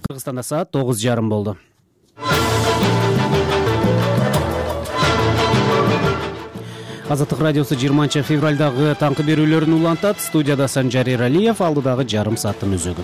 Кыргызстанда саат 9:30 болду. Азаттык радиосу 20-февралдагы таңкы берүүлөрүн улантат. Студияда Санжар Эралиев, алдыдагы жарым сааттын өзөгү.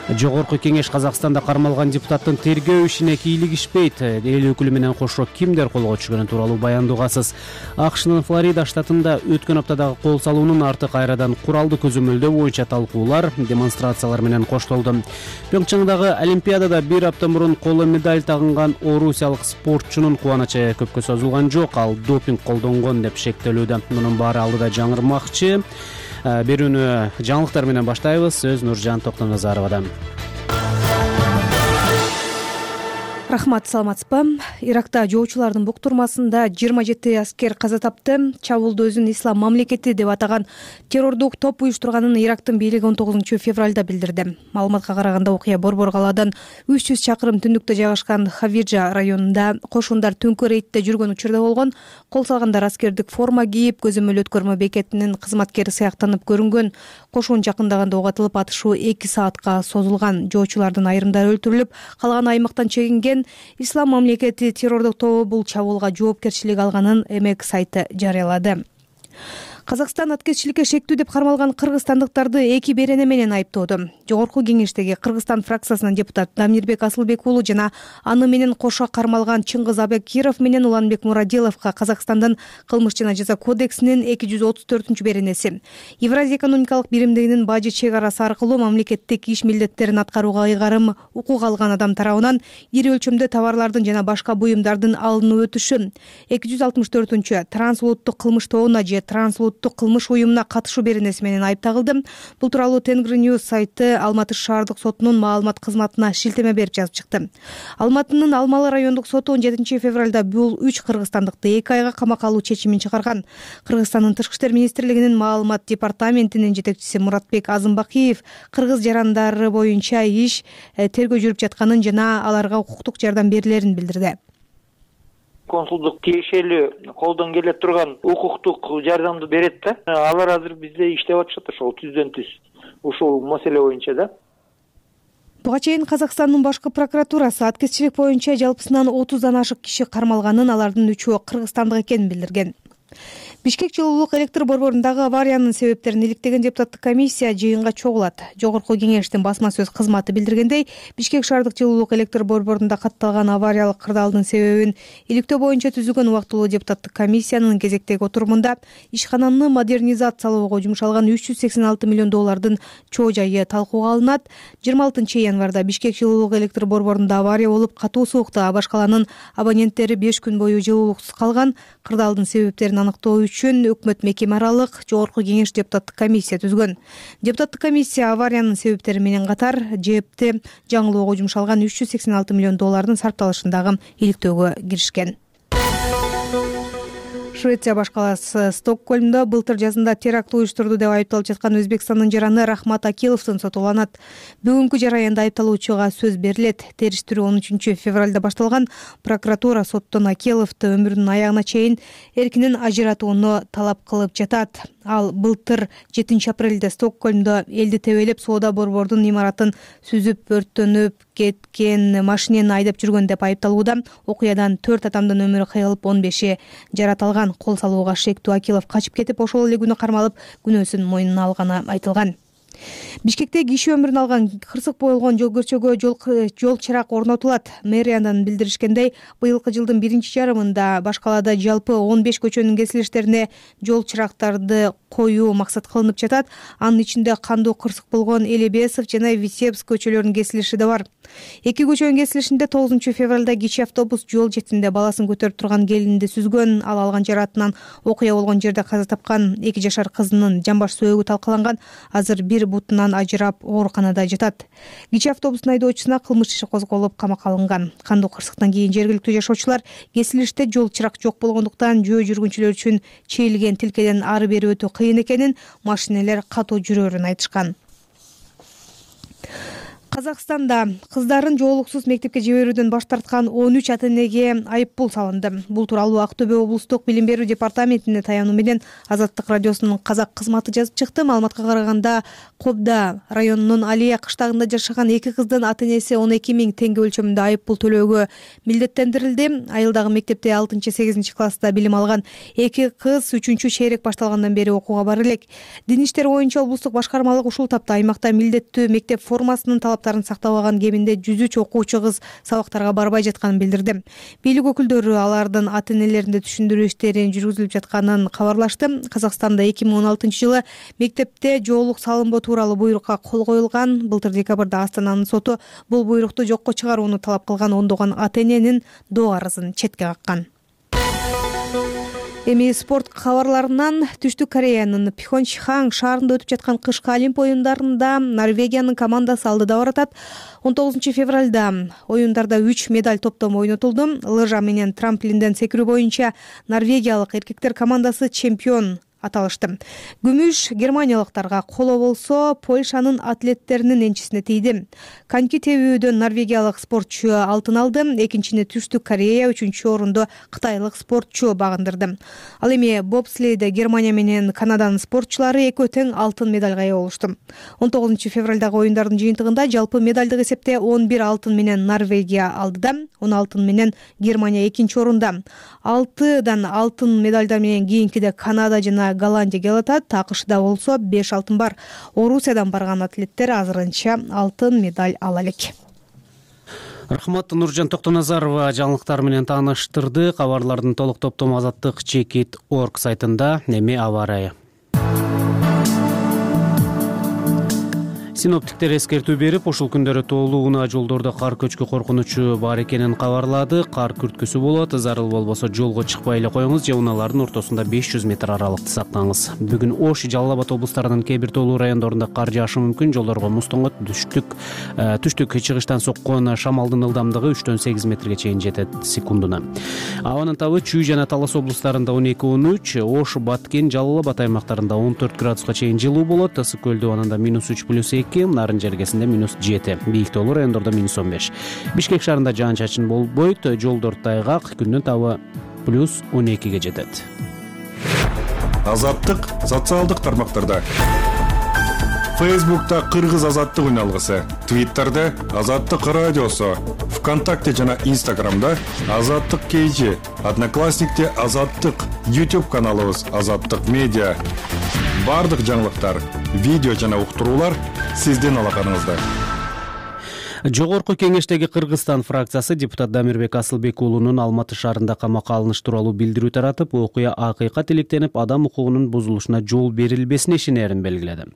Жогорку кеңеш Казакстанда кармалган депутаттын тергөө ишине кийлигишпейт. Эл өкүлү менен кошо кимдер колго түшкөнү тууралуу баяндоогасыз. АКШнын Флорида штатында өткөн аптадагы кол салуунун арты кайрадан куралды көзөмөлдөө боюнча талкуулар, демонстрациялар менен коштолду. Пьонччангдагы Олимпиадада бир апта мурун коло медаль тагынган орусиялык спортчунун кубанычы көпкө созулган жок. Ал допинг колдонгон деп шектелүүдө. Мунун баары алдыда жаңырмакчы. Берүүнү жаңылыктар менен баштайбыз. Сөз Нуржан Токтоназаровадан. Рахмат, саламатсызбы? Иракта жоочулардын буктурмасында 27 аскер каза тапты. Чабуулду өзүн ислам мамлекети деп атаган террордук топ уюштурганын Ирактын бийлиги 19 февралда билдирди. Маалыматка караганда окуя Борбор калаадан 300 чакырым түндүктө жайгашкан Хавиджа районунда кошундар түнкү рейдте жүргөн учурда болгон. Кол салгандар аскердик форма кийип, көзөмөл өткөрмө бекетинин кызматкери сыяктанып көрүнгөн. Кошун жакындаганда ок атылып, атышуу 2 саатка созулган. Жоочулардын айрымдары өлтүрүлүп, калган аймактан чегинген. Ислам мамлекети террордук тобу бул чабуулга жоопкерчилик алганын МЭК сайты жарыялады. Казакстан аткезчиликке шектүү деп кармалган кыргызстандыктарды 2 берене менен айыптоодо. Жогорку кеңештеги Кыргызстан фракциясынын депутаты Дамирбек Асылбек уулу жана аны менен кошо кармалган Чыңгыз Абекиров менен Уланбек Мурадиловго Казакстандын кылмыш жана жаза кодексинин 234 беренеси. Евразия экономикалык биримдигинин бажы чек арасы аркылуу мамлекеттик иш милдеттерин аткарууга ыйгарым укук алган адам тарабынан ири өлчөмдө товарлардын жана башка буюмдардын алынып өтүшү, 264 трансулуттук кылмыш тобуна же трансулуттук кылмыш уюмуна катышуу беренеси менен айыпталды. Бул тууралуу Тенгри News сайты Алматы шаардык сотунун маалымат кызматына шилтеме берип жазып чыкты. Алматынын Алмалы райондук соту 17 февралда бул 3 кыргызстандыкты 2 айга камакка алуу чечимин чыгарган. Кыргызстандын Тышкы иштер министрлигинин маалымат департаментинин жетекчиси Муратбек Азымбакиев кыргыз жарандары боюнча иш тергөө жүрүп жатканын жана аларга укуктук жардам берилерин билдирди. Консулдук тиешелүү колдон келе турган укуктук жардамды берет да. Алар азыр бизде иштеп атышат ошол түздөн түз ушул маселе боюнча да. Буга чейин Казакстандын башкы прокуратурасы аткезчилик боюнча жалпысынан 30дан ашык киши кармалганын, алардын 3-өө кыргызстандык экенин билдирген. Бишкек жылуулук электр борборундагы авариянын себептерин иликтеген депутаттык комиссия жыйынга чогулат. Жогорку кеңештин басма сөз кызматы билдиргендей, Бишкек шаардык жылуулук электр борборунда катталган авариялык кырдаалдын себебин иликтөө боюнча түзүлгөн убактылуу депутаттык комиссиянын кезектеги отурумунда ишкананы модернизациялоого жумшалган 386 миллион доллардын чоо жайы талкууга алынат. 26 январда Бишкек жылуулук электр борборунда авария болуп, катуу суукта Абаш каланын абоненттери 5 күн бою жылуулуксуз калган. Кырдаалдын себептерин аныктоо үчүн өкмөт мекеме аралык жогорку кеңеш депутаттык комиссия түзгөн. Депутаттык комиссия авариянын себептери менен катар ЖЭПти жаңылоого жумшалган 386 миллион доллардын сарпталышындагы иликтөөгө киришкен. Швеция баш калаасы Стокгольмдо былтыр жазында теракт уюштурду деп айыпталып жаткан Өзбекстандын жараны Рахмат Акиловдун сотуланат. Бүгүнкү жараянда айыпталуучуга сөз берилет. Териштирүү 13 февралда башталган. Прокуратура соттон Акиловду өмүрүнүн аягына чейин эркинен ажыратууну талап кылып жатат. Ал былтыр 7 апрелде Стокгольмдо элди тебелеп соода борбордун имаратын сүзүп, өрттөнүп кеткен машинени айдап жүргөн деп айыпталууда. Окуядан 4 адамдын өмүрү кыйылып, 15-и жараталган. Кол салууга шектүү Акилов качып кетип, ошол эле күнү кармалып, күнөөсүн мойнуна алганы айтылган. Бишкекте киши өмүрүн алган кырсык болгон жол көрчөгө жол чырак орнотулат. Мэриядан билдиришкендей, быйылкы жылдын 1-жарымында баш калаада жалпы 15 көчөнүн кесилиштерине жол чырактарды коюу максат кылынып жатат. Анын ичинде кандуу кырсык болгон Элебесов жана Витебск көчөлөрүнүн кесилиши да бар. 2 көчөнүн кесилишинде 9 февралда кичи автобус жол четинде баласын көтөрүп турган келинди сүзгөн. Ал алган жараатынан окуя болгон жерде каза тапкан. 2 жашар кызынын жамбаш сөөгү талкаланган. Азыр бир бутунан ажырап ооруканада жатат. Кичи автобустун айдоочусуна кылмыш иши козголуп, камакка алынган. Кандуу кырсыктан кийин жергиликтүү жашоочулар кесилиште жол чырак жок болгондуктан жөө жүргүнчүлөр үчүн чейилген тилкеден ары бери өтүү кыйын экенин, машинелер катуу жүрөрүн айтышкан. Казакстанда кыздарын жоолуксуз мектепке жиберүүдөн баш тарткан 13 ата-энеге айыппул салынды. Бул тууралуу Актөбе облустук билим берүү департаментине таянуу менен Азаттык радиосунун казак кызматы жазып чыкты. Маалыматка караганда, Кобда районунун Алия кыштагында жашаган 2 кыздын ата-энеси 12 000 теңге өлчөмүндө айыппул төлөөгө милдеттендирилди. Айылдагы мектепте 6-8 класста билим алган 2 кыз 3 шейрек башталгандан бери окууга бара элек. Дин иштери боюнча облустук башкармалык ушул тапта аймакта милдеттүү мектеп формасынын талаптарын сактабаган кеминде 103 окуучу кыз сабактарга барбай жатканын билдирди. Бийлик өкүлдөрү алардын ата-энелеринде түшүндүрүү иштерин жүргүзүлүп жатканын кабарлашты. Казакстанда 2016-жылы мектепте жоолук салынбоо тууралуу буйрукка кол коюлган. Былтыр декабрда Астананын соту бул буйрукту жокко чыгарууну талап кылган ондогон ата-эненин доо арызын четке каккан. Эми спорт кабарларынан Түштүк Кореянын Пхёнчхан шаарында өтүп жаткан кышкы Олимп оюндарында Норвегиянын командасы алдыда баратат. 19 февралда оюндарда 3 медаль топтому ойнотулду. Лыжа менен трамплинден секирүү боюнча норвегиялык эркектер командасы чемпион аталышты. Күмүш германиялыктарга коло болсо, Польшанын атлеттеринин энчисине тийди. Коньки тебүүдөн норвегиялык спортчу алтын алды, экинчини Түштүк Корея, 3-чү орунду кытайлык спортчу багындырды. Ал эми бобслейде Германия менен Канаданын спортчулары экөө тең алтын медалга ээ болушту. 19 февралдагы оюндардын жыйынтыгында жалпы медалдык эсепте 11 алтын менен Норвегия алдыда, 10 алтын менен Германия экинчи орунда. 6 алтын медалдар менен кийинкиде Канада жана Голландия келатат. АКШда болсо 5 алтын бар. Орусиядан барган атлеттер азырынча алтын медаль ала элек. Рахмат. Нуржан Токтоназарова жаңылыктар менен тааныштырды. Кабарлардын толук топтому Азаттык.org сайтында. Эми аба ырайы. Синоптиктер эскертүү берип, ушул күндөрү тоолуу унаа жолдордо кар көчкү коркунучу бар экенин кабарлады. Кар күрткүсү болот. Зарыл болбосо жолго чыкпай эле коюңуз же унаалардын ортосунда 500 метр аралыкты сактаңыз. Бүгүн Ош, Жалал Абад облустарынын кээ бир тоолуу райондорунда кар жаашы мүмкүн. Жолдорго муз тоңот. Түштүк чыгыштан соккон шамалдын ылдамдыгы 3-8 метрге чейин жетет секундуна. Абанын табы Чүй жана Талас облустарында 12-13, Ош, Баткен, Жалал Абад аймактарында 14 градуска чейин жылуу болот. Ысык көлдү абанында -3+2, Нарын жергесинде -7, бийик тоолуу райондордо -15. Бишкек шаарында жаан-чачын болбойт, жолдор тайгак, күндүн табы +12ге жетет. Азаттык социалдык тармактарда. Фейсбукта Кыргыз азаттык үналгысы, Твиттерде Азаттык радиосу, ВКонтакте жана Инстаграмда Азаттык KG, Одноклассникте Азаттык, YouTube каналыбыз Азаттык медиа. Бардык жаңылыктар, видео жана уктуруулар сиздин алаканыңызда. Жогорку кеңештеги Кыргызстан фракциясы депутат Дамирбек Асылбек уулунун Алматы шаарында камакка алыныш тууралуу билдирүү таратып, окуя акыйкат иликтенип, адам укугунун бузулушуна жол берилбесин ишенерин белгиледи.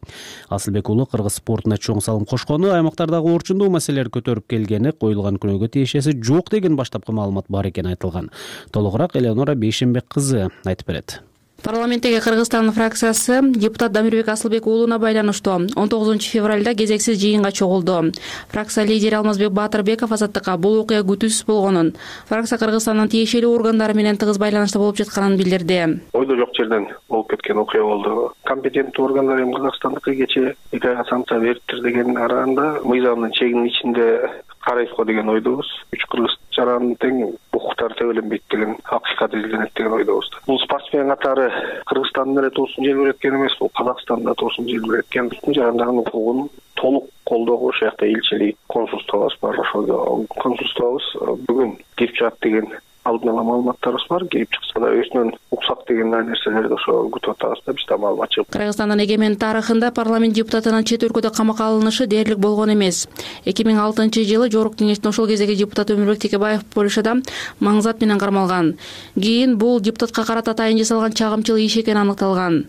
Асылбек уулу кыргыз спортуна чоң салым кошкону, аймактардагы орчундуу маселелерди көтөрүп келгени, коюлган күнөөгө тиешеси жок деген баштапкы маалымат бар экени айтылган. Толугураак Элеонора Бейшенбек кызы айтып берет. Парламенттеги Кыргызстан фракциясы депутат Дамирбек Асылбек уулуна байланыштуу 19 февралда кезексиз жыйынга чогулду. Фракция лидери Алмазбек Батырбеков Азаттыкка бул окуя күтүүсүз болгонун, фракция Кыргызстандын тиешелүү органдары менен тыгыз байланышта болуп жатканын билдирди. Ойдо жок жерден болуп кеткен окуя болду. Компетенттүү органдар эми Кыргызстандыкы кечээ 2 айга санкция бериптир деген аранда мыйзамдын чегинин ичинде карайт го деген ойдобуз. 3 кыргыз жаранын тең укуктары төбөлөнбөйт деген акыйкат изилденет деген ойдобуз. Бул спортсмен катары Кыргызстандын эле туусун желбиреткен эмес, бул Казакстанда туусун желбиреткен. Жарандардын укугун толук колдоого ошол жакта элчилик, консулствобуз бар. Ошол консулствобуз бүгүн кирип чыгат деген алдын ала маалыматтарыбыз бар. Кирип чыкса да өзүнөн уксак деген нерселерди ошо күтүп атабыз да, бизде маалымат жок. Кыргызстандын эгемен тарыхында парламент депутатынын чет өлкөдө камакка алынышы дээрлик болгон эмес. 2006-жылы Жогорку кеңештин ошол кездеги депутаты Өмүрбек Текебаев Польшада маңзат менен кармалган. Кийин бул депутатка карата атайын жасалган чагымчыл иш экени аныкталган.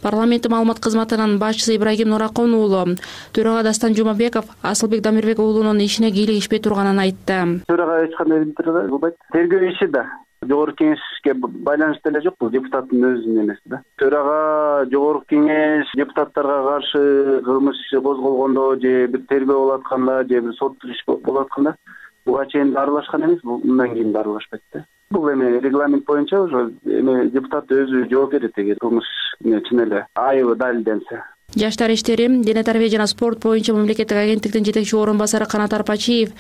Парламенттик маалымат кызматынын башчысы Ибрагим Нуракон уулу төрага Дастан Жумабеков Асылбек Дамирбек уулунун ишине кийлигишпей турганын айтты. Төрага эч кандай билдирүү кылбайт. Тергөө иши да Жогорку кеңешке байланыштуу эле жок, бул депутаттын өзүнүн эмес да. Төрага Жогорку кеңеш депутаттарга каршы кылмыш иши козголгондо же бир тергөө болуп атканда же бир соттук иш болуп атканда буга чейин аралашкан эмес, мындан кийин аралашпайт да. Бул эми регламент боюнча ошо эми депутат өзү жооп берет эгер кылмыш чын эле айыбы далилденсе. Жаштар иштери, дене тарбия жана спорт боюнча мамлекеттик агенттиктин жетекчи орун басары Канат Арпачиев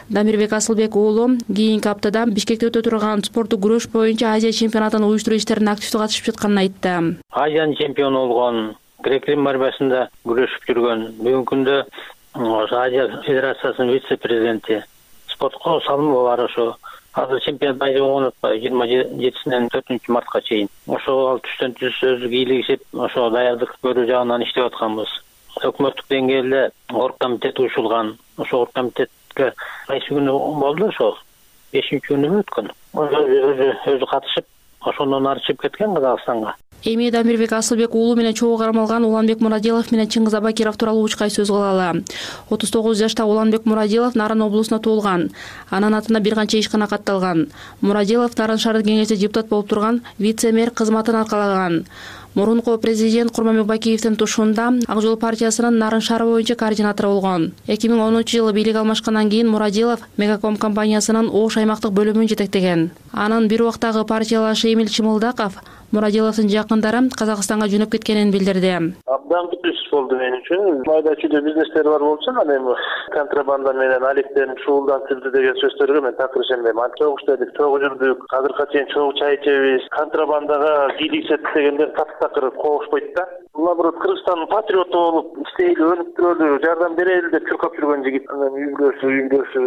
Дамирбек Асылбек уулу кийинки аптада Бишкекте өтө турган спорттук күрөш боюнча Азия чемпионатын уюштуруу иштерине активдүү катышып жатканын айтты. Азиянын чемпиону болгон, грек-рим борьбасында күрөшүп жүргөн, бүгүнкү күндө Азия федерациясынын вице-президенти, спортко салымы бар ошо. Азыр чемпионат байрамы отпайбы 27-синен 4-мартка чейин. Ошого ал түштөн түз өздүк ийлигишип, ошо даярдык көрүү жагынан иштеп атканбыз. Өкмөттүк деңгээлде оргкомитет уюшулган. Ошо оргкомитетке кайсы күнү болду ошо 5-күнү өткөн. Өзү катышып, ошондон ары чыгып кеткен Казакстанга. Эми Дамирбек Асылбек уулу менен чогуу кармалган Уланбек Мурадилов менен Чыңгыз Абакиров тууралуу учкай сөз кылалы. 39 жашта Уланбек Мурадилов Нарын облусунда туулган. Анын атына бир канча ишкана катталган. Мурадилов Нарын шаардык кеңеште депутат болуп турган вице-мэр кызматын аркалаган. Мурунку президент Курманбек Бакиевдин тушунда Ак жол партиясынын Нарын шаары боюнча координатору болгон. 2010-жылы бийлик алмашкандан кийин Мурадилов Мегаком компаниясынын Ош аймактык бөлүмүн жетектеген. Анын бир убактагы партиялашы Эмил Чымылдаков Мурадиловдун жакындары Казакстанга жөнөп кеткенин билдирди. Абдан күтүш болду мен үчүн. Майда чүйдө бизнестер бар болчу, анан эми контрабанда менен алектенип шуулдантырды деген сөздөргө мен такыр ишенбейм. Чогуу иштедик, чогуу жүрдүк, азыркыга чейин чогуу чай ичебиз. Контрабандага кийликсет дегендер такыр коошпойт да. Наоборот, Кыргызстандын патриоту болуп иштейли, өнүп турөлү, жардам берели деп чуркап жүргөн жигит. Анан үйгөсү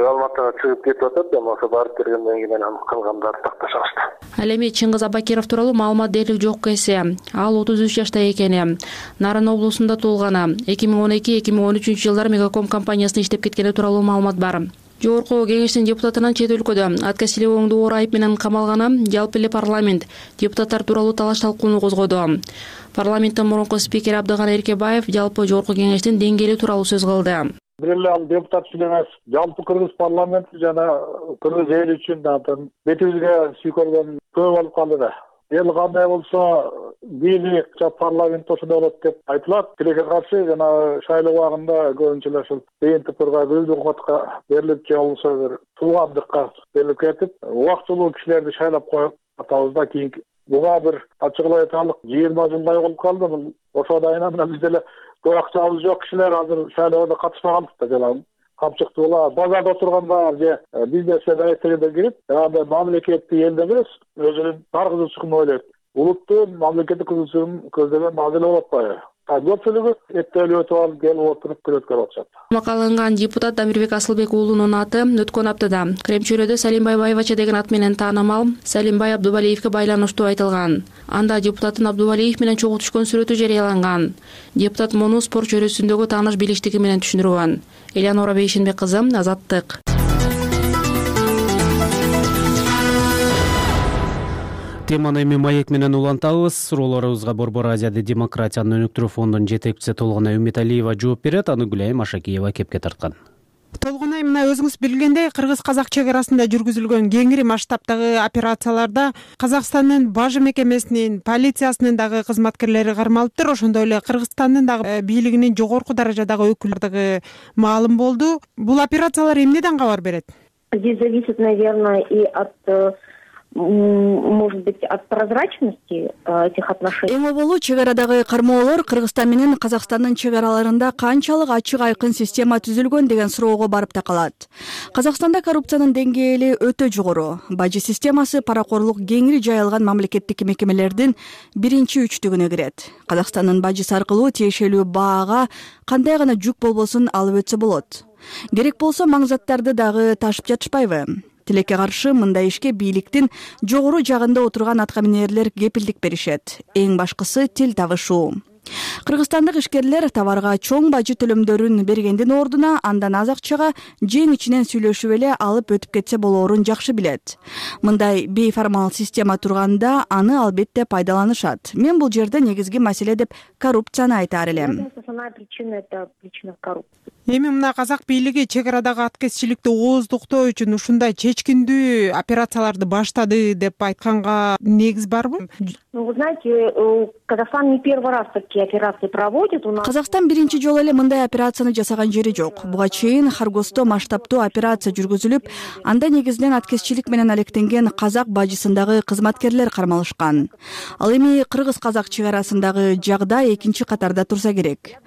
Алматыга чыгып кетип атат да, ошо барып бергенден кийин анан калгандарды такташабыз. Ал эми Чыңгыз Абакиров тууралуу маалымат дээрлик жок эсе. Ал 33 жашта экени. Нарын облусунда туулган. 2012-2013 жылдары Мегаком компаниясында иштеп кеткени тууралуу маалымат бар. Жогорку кеңештин депутатынын чет өлкөдө атка силебооңду оор айып менен камалганы жалпы эле парламент депутаттар тууралуу талаш талкууну козгоду. Парламенттин мурунку спикери Абдыган Эркебаев жалпы жогорку кеңештин деңгээли тууралуу сөз кылды. Бир эле ал депутат үчүн эмес, жалпы Кыргыз парламенти жана Кыргыз эли үчүн бетибизге сүйкөлгөн көп болуп калды да. Эл кандай болсо бийлик парламент ошондой болот деп айтылат. Тилекке каршы жана шайлоо убагында көбүнчө эле ушул БНТПга көздөк катка берилип же болбосо бир туугандыкка берилип кетип, убактылуу кишилерди шайлап коюп атабыз да. Кийинки буга бир ачыгылай айталык 20 жылдай болуп калды. Бул ошо дайына менен биз деле көп акчабыз жок кишилер азыр шайлоого катышпаганбыз да. Жана камчыктуулар базарда отургандар же бизнеске даректегендер кирип, андай мамлекетти элде эмес, өзүнүн бар кызыкчылыгын ойлойт. Улуттун мамлекеттик кызыкчылыгын көздөмөн мазел болуп атпайбы? Көпчүлүгү эттелип өтүп алып, келип отуруп күрөткөр атышат. Макаланган депутат Дамирбек Асылбек уулунун аты өткөн аптада Кремчөлөдө Салимбай Байбача деген ат менен таанымал Салимбай Абдубалиевке байланыштуу айтылган. Анда депутаттын Абдубалиев менен чогуу түшкөн сүрөтү жарыяланган. Депутат муну спорт чөйрөсүндөгү тааныш билиштиги менен түшүндүргөн. Элеонора Бейшенбек кызы, Азаттык. Теманы эми маек менен улантабыз. Суроолорубузга Борбор Азияда демократияны өнүктүрүү фондунун жетекчиси Толгонай Үмүталиева жооп берет. Аны Гүлайым Ашакиева кепке тарткан. Толгонай, мына өзүңүз билгендей, кыргыз-казак чек арасында жүргүзүлгөн кеңири масштабтагы операцияларда Казакстандын бажы мекемесинин, полициясынын дагы кызматкерлери кармалыптыр. Ошондой эле Кыргызстандын дагы бийлигинин жогорку даражадагы өкүлдөрү маалым болду. Бул операциялар эмнеден кабар берет? Здесь зависит, наверное, и от, может быть, от прозрачности этих отношений. Эң оболу чек арадагы кармоолор Кыргызстан менен Казакстандын чек араларында канчалык ачык айкын система түзүлгөн деген суроого барып такалат. Казакстанда коррупциянын деңгээли өтө жогору. Бажы системасы паракорлук кеңири жайылган мамлекеттик мекемелердин биринчи үчтүгүнө кирет. Казакстандын бажысы аркылуу тиешелүү баага кандай гана жүк болбосун алып өтсө болот. Керек болсо маңзаттарды дагы ташып жатышпайбы? Тилекке каршы мындай ишке бийликтин жогору жагында отурган аткаминерлер кепилдик беришет. Эң башкысы тил табышуу. Кыргызстандык ишкерлер товарга чоң бажы төлөмдөрүн бергендин ордуна андан аз акчага жең ичинен сүйлөшүп эле алып өтүп кетсе болоорун жакшы билет. Мындай бейформал система турганда аны албетте пайдаланышат. Мен бул жерде негизги маселе деп коррупцияны айтаар элем. Основная причина — это причина коррупции. Эми мына казак бийлиги чек арадагы аткезчиликти ооздуктоо үчүн ушундай чечкиндүү операцияларды баштады деп айтканга негиз барбы? Ну, вы знаете, Казахстан не первый раз такие такие операции проводит. У нас Казакстан биринчи жолу эле мындай операцияны жасаган жери жок. Буга чейин Харгосто масштабтуу операция жүргүзүлүп, анда негизинен аткезчилик менен алектенген казак бажысындагы кызматкерлер кармалышкан. Ал эми кыргыз-казак чек арасындагы жагдай экинчи катарда турса керек.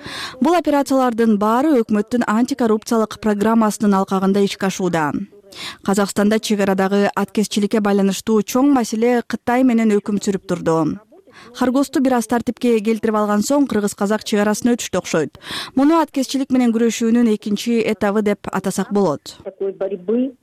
Бул операциялардын баары өкмөттүн антикоррупциялык программасынын алкагында ишке ашууда. Казакстанда чек арадагы аткезчиликке байланыштуу чоң маселе Кытай менен өкүм сүрүп турду. Харгосту бир аз тартипке келтирип алган соң кыргыз-казак чек арасын өтүштү окшойт. Муну аткезчилик менен күрөшүүнүн экинчи этабы деп атасак болот. такой борьбы,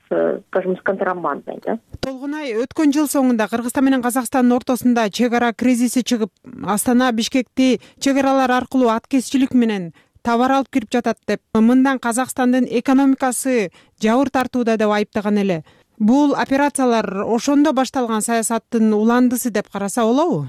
скажем, с контрабандой, да? Толгунай, өткөн жыл соңунда Кыргызстан менен Казакстандын ортосунда чек ара кризиси чыгып, Астана, Бишкекти чек аралар аркылуу аткезчилик менен товар алып кирип жатат деп, мындан Казакстандын экономикасы жабыр тартууда деп айыптаган эле. Бул операциялар ошондо башталган саясаттын уландысы деп караса болобу?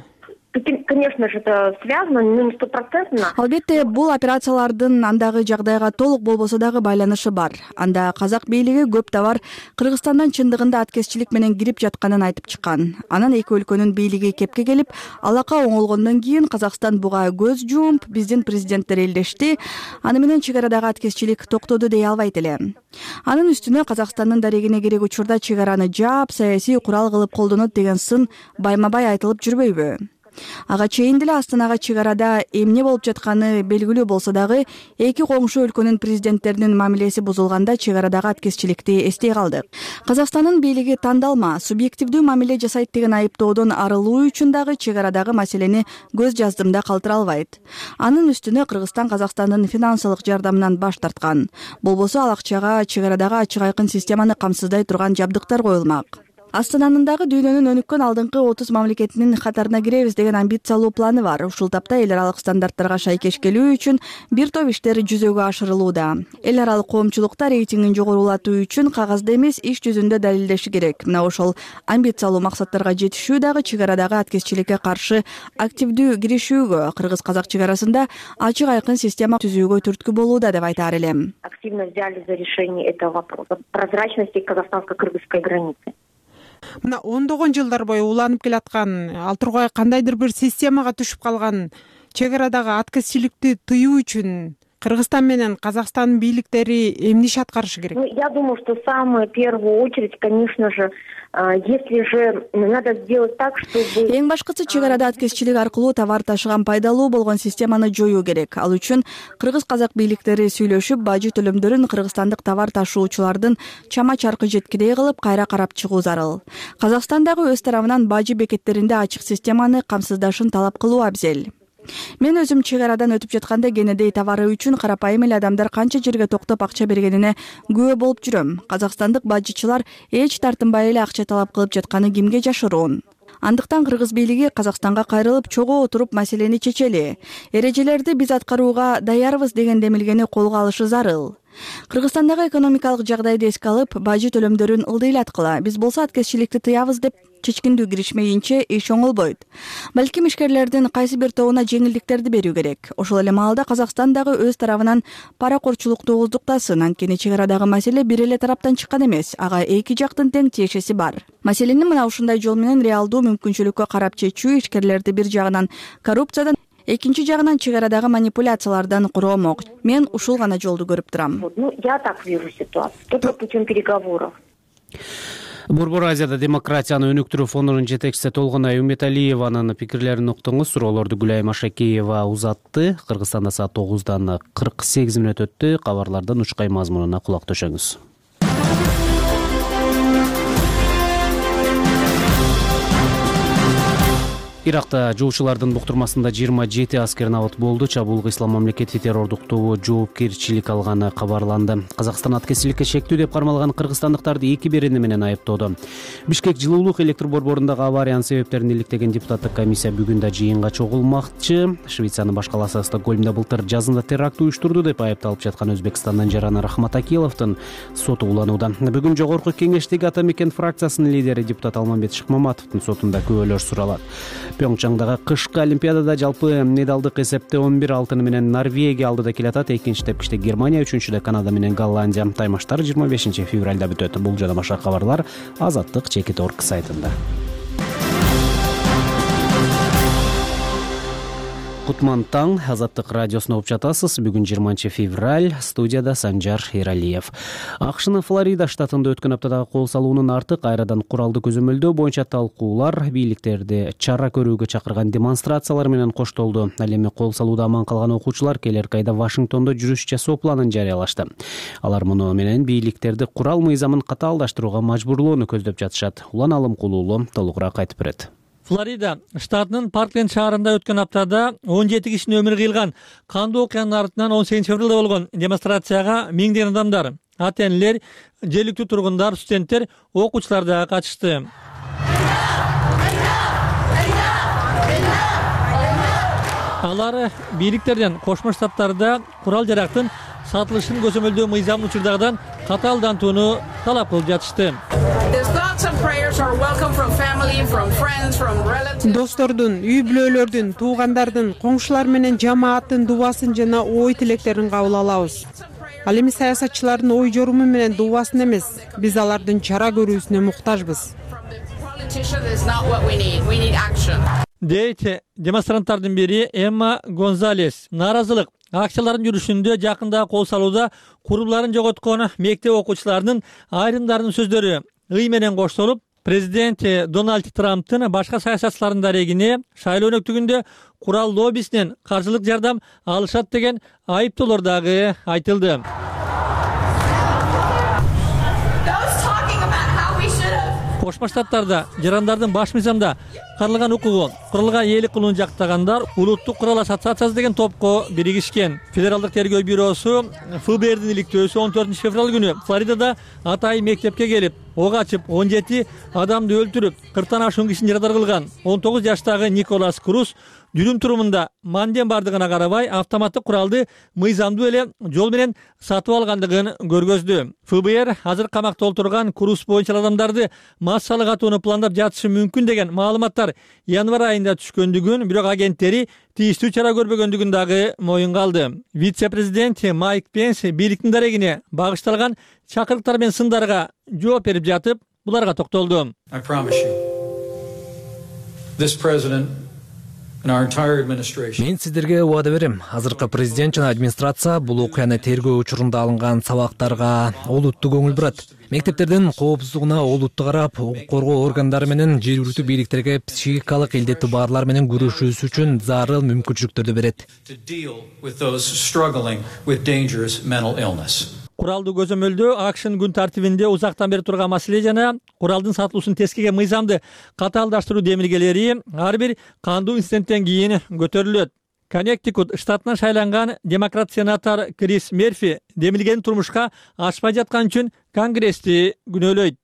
Конечно же, это связано, но не стопроцентно. Албетте, бул операциялардын андагы жагдайга толук болбосо дагы байланышы бар. Анда казак бийлиги көп товар Кыргызстандан чындыгында аткезчилик менен кирип жатканын айтып чыккан. Анан эки өлкөнүн бийлиги кепке келип, алака оңолгондон кийин Казакстан буга көз жумуп, биздин президенттер элдешти. Аны менен чек арадагы аткезчилик токтоду дей албайт эле. Анын үстүнө Казакстандын дарегине керек учурда чек араны жаап, саясий курал кылып колдонот деген сын байма-бай айтылып жүрбөйбү? Ага чейин деле Астанага чек арада эмне болуп жатканы белгилүү болсо дагы, эки коңшу өлкөнүн президенттеринин мамилеси бузулганда чек арадагы аткезчиликти эстей калдык. Казакстандын бийлиги тандалма, субъективдүү мамиле жасайт деген айыптоодон арылуу үчүн дагы чек арадагы маселени көз жаздымда калтыра албайт. Анын үстүнө Кыргызстан Казакстандын финансылык жардамынан баш тарткан. Болбосо ал акчага чек арадагы ачык айкын системаны камсыздай турган жабдыктар коюлмак. Астананын дагы дүйнөнүн өнүккөн алдыңкы 30 мамлекетинин катарына киребиз деген амбициялуу планы бар. Ушул тапта эл аралык стандарттарга шайкеш келүү үчүн бир топ иштер жүзөгө ашырылууда. Эл аралык коомчулукта рейтингин жогорулатуу үчүн кагазда эмес, иш жүзүндө далилдеши керек. Мына ошол амбициялуу максаттарга жетишүү дагы чек арадагы аткезчиликке каршы активдүү киришүүгө, кыргыз-казак чек арасында ачык айкын система түзүүгө түрткү болууда деп айтаар элем. Активно взяли за решение этого вопроса прозрачности казахстанско-кыргызской границы. Мына ондогон жылдар бою уланып келаткан, ал тургай кандайдыр бир системага түшүп калган чек арадагы аткезчиликти тыюу үчүн Кыргызстан менен Казакстан бийликтери эмне иш аткарышы керек? Я думаю, что в самую первую очередь, конечно же, если же надо сделать так, чтобы... Эң башкысы чек арада аткезчилик аркылуу товар ташыган пайдалуу болгон системаны жоюу керек. Ал үчүн кыргыз-казак бийликтери сүйлөшүп, бажы төлөмдөрүн кыргызстандык товар ташуучулардын чама-чаркы жеткирей кылып кайра карап чыгуу зарыл. Казакстан дагы өз тарабынан бажы бекеттеринде ачык системаны камсыздашын талап кылуу абзел. Мен өзүм чек арадан өтүп жатканда кенедей товары үчүн карапайым эле адамдар канча жерге токтоп акча бергенине күбө болуп жүрөм. Казакстандык бажычылар эч тартынбай эле акча талап кылып жатканы кимге жашыруун? Андыктан кыргыз бийлиги Казакстанга кайрылып, чогуу отуруп маселени чечели. Эрежелерди биз аткарууга даярбыз деген демилгени колго алышы зарыл. Кыргызстандагы экономикалык жагдайды эске алып, бажы төлөмдөрүн ылдыйлаткыла. Биз болсо аткезчиликти тыябыз деп чечкиндүү киришмейинче иш оңолбойт. Балким ишкерлердин кайсы бир тобуна жеңилдиктерди берүү керек. Ошол эле маалда Казакстан дагы өз тарабынан паракорчулукту ооздуктасын. Анткени чек арадагы маселе бир эле тараптан чыккан эмес. Ага эки жактын тең тиешеси бар. Маселени мына ушундай жол менен реалдуу мүмкүнчүлүккө карап чечүү ишкерлерди бир жагынан коррупциядан, экинчи жагынан чек арадагы манипуляциялардан куромок. Мен ушул гана жолду көрүп турам. Я так вижу ситуацию. Только путем переговоров. Борбор Азияда демократияны өнүктүрүү фондунун жетекчиси Толгунай Үмөталиеванын пикирлерин уктуңуз. Суроолорду Гүлай Машакеева узатты. Кыргызстанда саат 9:48 өттү. Кабарлардын учкай мазмунуна кулак төшөңүз. Иракта жоочулардын буктурмасында 27 аскер набат болду. Чабуулга Ислам мамлекети террордук тобу жоопкерчилик алганы кабарланды. Казакстан аткезчиликке шектүү деп кармалган кыргызстандыктарды эки берени менен айыптоодо. Бишкек жылуулук электр борборундагы авариянын себептерин иликтеген депутаттык комиссия бүгүн да жыйынга чогулмакчы. Швециянын баш калаасы Стокгольмдо былтыр жазында теракт уюштурду деп айыпталып жаткан Өзбекстандын Жарана Рахматакиловдун соту уланууда. Бүгүн жогорку кеңештеги Ата мекен фракциясынын лидери депутат Алмамбет Шыкмаматовдун сотунда күбөлөр суралат. Пьонгчангдагы кышкы олимпиадада жалпы медалдык эсепте 11 алтыны менен Норвегия алдыда келатат. Экинчи тепкичте Германия, үчүнчүдө Канада менен Голландия. Таймаштар 25 февралда бүтөт. Бул жана башка кабарлар Азаттык.org сайтында. кутман таң. Азаттык радиосуна угуп жатасыз. Бүгүн 20 февраль. Студияда Санжар Эралиев. АКШнын Флорида штатында өткөн аптадагы кол салуунун арты кайрадан куралды көзөмөлдөө боюнча талкуулар, бийликтерди чара көрүүгө чакырган демонстрациялар менен коштолду. Ал эми кол салууда аман калган окуучулар келерки айда Вашингтондо жүрүш жасоо планын жарыялашты. Алар муну менен бийликтерди курал мыйзамын катаалдаштырууга мажбурлоону көздөп жатышат. Улан Алымкулуулу толугураак айтып берет. Флорида штатынын Паркленд шаарында өткөн аптада 17 кишинин өмүрү кыйылган кандуу окуянын артынан 18 февралда болгон демонстрацияга миңдеген адамдар, ата-энелер, жергиликтүү тургундар, студенттер, окуучулар да катышты. Алар бийликтерден Кошмо Штаттарда курал жарактын сатылышын көзөмөлдөө мыйзамын учурдагыдан катаалдантууну талап кылып жатышты. Достордун, үй бүлөлөрдүн, туугандардын, коңшулар менен жамааттын дубасын жана ой тилектерин кабыл алабыз. Ал эми саясатчылардын ой жоруму менен дубасын эмес, биз алардын чара көрүүсүнө муктажбыз. Дейт демонстранттардын бири Эмма Гонзалес. Нааразылык акциялардын жүрүшүндө жакында кол салууда куруларын жоготкон мектеп окуучуларынын айрымдарынын сөздөрү ый менен коштолуп, президент Дональд Трамптын башка саясатчылардын дарегине шайлоо өнөктүгүндө курал лоббисинен каржылык жардам алышат деген айыптоолор дагы айтылды. Кошмо Штаттарда жарандардын баш мыйзамда каралган укугу куралга ээлик кылууну жактагандар улуттук курал ассоциациясы деген топко биригишкен. Федералдык тергөө бюросу ФБРдин иликтөөсү 14 февраль күнү Флоридада атайын мектепке келип, ок ачып 17 адамды өлтүрүп, 40тан ашуун кишини жарадар кылган 19 жаштагы Николас Круз дүрүм турумунда манден бардыгына карабай автоматтык куралды мыйзамдуу эле жол менен сатып алгандыгын көргөздү. ФБР азыр камакта отурган Круз боюнча адамдарды массалык атууну пландап жатышы мүмкүн деген маалыматтар январь айында түшкөндүгүн, бирок агенттери тийиштүү чара көрбөгөндүгүн дагы моюнга алды. Вице-президент Майк Пенс бийликтин дарегине багышталган чакырыктар менен сындарга жооп берип жатып, буларга токтолду. Мен сиздерге убада берем. Азыркы президент жана администрация бул окуяны тергөө учурунда алынган сабактарга олуттуу көңүл бурат. Мектептердин коопсуздугуна олуттуу карап, укук коргоо органдары менен жергиликтүү бийликтерге психикалык илдеттүү баарлар менен күрөшүүсү үчүн зарыл мүмкүнчүлүктөрдү берет. Куралдуу көзөмөлдөө АКШнын күн тартибинде узактан бери турган маселе жана куралдын сатылуусун тескеген мыйзамды катаалдаштыруу демилгелери ар бир кандуу инциденттен кийин көтөрүлөт. Коннектикут штатынан шайланган демократ сенатор Крис Мерфи демилгени турмушка ашпай жаткан үчүн Конгрессти күнөөлөйт.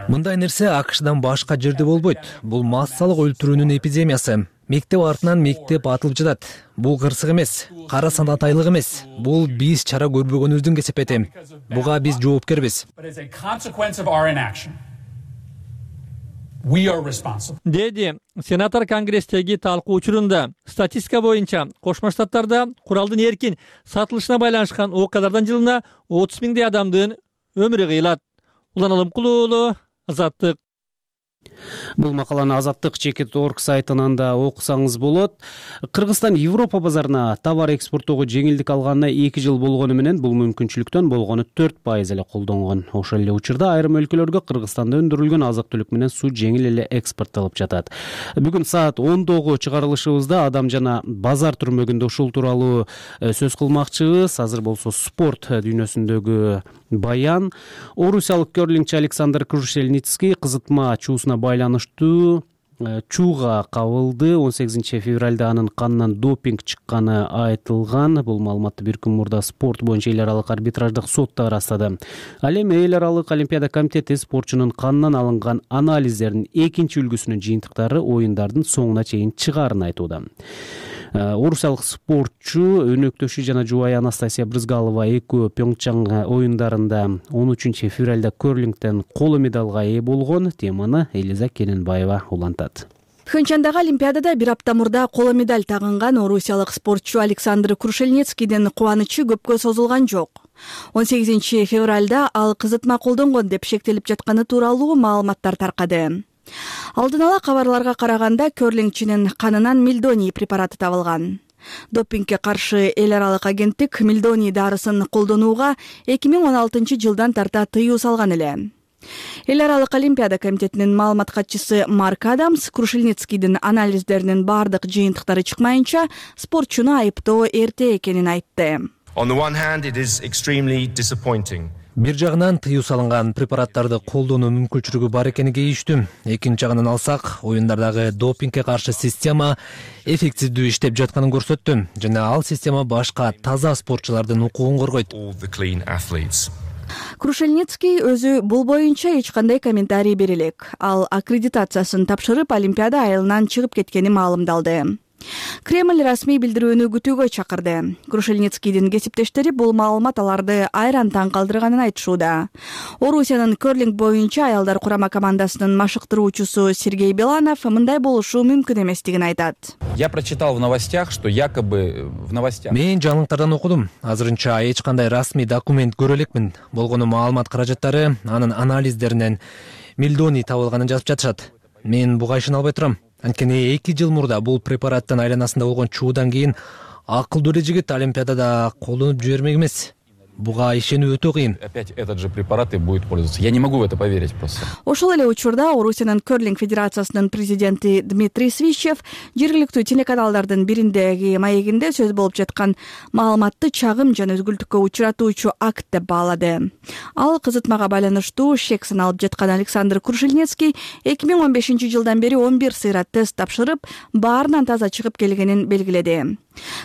Мындай нерсе АКШдан башка жерде болбойт. Бул массалык өлтүрүүнүн эпидемиясы. Мектеп артынан мектеп атылып жатат. Бул кырсык эмес, кара санатайлык эмес. Бул биз чара көрбөгөнүбүздүн кесепети. Буга биз жоопкербиз. Деди сенатор Конгресстеги талкуу учурунда. Статистика боюнча Кошмо Штаттарда куралдын эркин сатылышына байланышкан окуялардан жылына 30 миңдей адамдын өмүрү кыйылат. Улан Алымкулуулу, Азаттык. Бул макаланы Азаттык.org сайтынан да окусаңыз болот. Кыргызстан Европа базарына товар экспорттоого жеңилдик алганына 2 жыл болгону менен бул мүмкүнчүлүктөн болгону 4% эле колдонгон. Ошол эле учурда айрым өлкөлөргө Кыргызстанда өндүрүлгөн азык-түлүк менен суу жеңил эле экспорттолуп жатат. Бүгүн саат 10догу чыгарылышыбызда адам жана базар түрмөгүндө ушул тууралуу сөз кылмакчыбыз. Азыр болсо спорт дүйнөсүндөгү баян. Орусиялык керлингчи Александр Крушельницкий кызытма чуусуна байланыштуу чууга кабылды. 18 февралда анын канынан допинг чыкканы айтылган. Бул маалыматты бир күн мурда спорт боюнча эл аралык арбитраждык сот да ырастады. Ал эми эл аралык олимпиада комитети спортчунун канынан алынган анализдердин экинчи үлгүсүнүн жыйынтыктары оюндардын соңуна чейин чыгаарын айтууда. Орусиялык спортчу өнөктөшү жана жубайы Анастасия Брызгалова экөө Пьонгчан оюндарында 13 февралда керлингден коло медалга ээ болгон. Теманы Элиза Кененбаева улантат. Пхенчхандагы олимпиадада бир апта мурда коло медаль тагынган орусиялык спортчу Александр Крушельницкийдин кубанычы көпкө созулган жок. 18 февралда ал кызытма колдонгон деп шектелип жатканы тууралуу маалыматтар таркады. Алдын ала кабарларга караганда керлингчинин канынан мельдоний препараты табылган. Допингге каршы эл аралык агенттик мельдоний дарысын колдонууга 2016 жылдан тарта тыюу салган эле. Эл аралык олимпиада комитетинин маалымат катчысы Марк Адамс Крушельницкийдин анализдеринин бардык жыйынтыктары чыкмайынча спортчуну айыптоо эрте экенин айтты. Бир жагынан тыюу салынган препараттарды колдонуу мүмкүнчүлүгү бар экени кейиштүү. Экинчи жагынан алсак, оюндардагы допингге каршы система эффективдүү иштеп жатканын көрсөттү жана ал система башка таза спортчулардын укугун коргойт. Крушельницкий өзү бул боюнча эч кандай комментарий бере элек. Ал аккредитациясын тапшырып, Олимпиада айылынан чыгып кеткени маалымдалды. Кремль расмий билдирүүнү күтүүгө чакырды. Крушельницкийдин кесиптештери бул маалымат аларды айран таң калтырганын айтышууда. Орусиянын керлинг боюнча аялдар курама командасынын машыктыруучусу Сергей Беланов мындай болушу мүмкүн эместигин айтат. Я прочитал в новостях, что якобы в новостях. Мен жаңылыктардан окудум. Азырынча эч кандай расмий документ көрө элекмин. Болгону маалымат каражаттары анын анализдеринен мельдоний табылганын жазып жатышат. Мен буга ишене албай турам. Анткени 2 жыл мурда бул препараттын айланасында болгон чуудан кийин акылдуу эле жигит Олимпиадада колдонуп жибермек эмес. Буга ишенүү өтө кыйын. Опять этот же препарат и будет пользоваться. Я не могу в это поверить просто. Ошол эле учурда Орусиянын керлинг федерациясынын президенти Дмитрий Свищев жергиликтүү телеканалдардын бириндеги маегинде сөз болуп жаткан маалыматты чагым жана өзгүлтүккө учуратуучу акт деп баалады. Ал кызытмага байланыштуу шек саналып жаткан Александр Крушельницкий 2015 жылдан бери 11 сыйра тест тапшырып, баарынан таза чыгып келгенин белгиледи.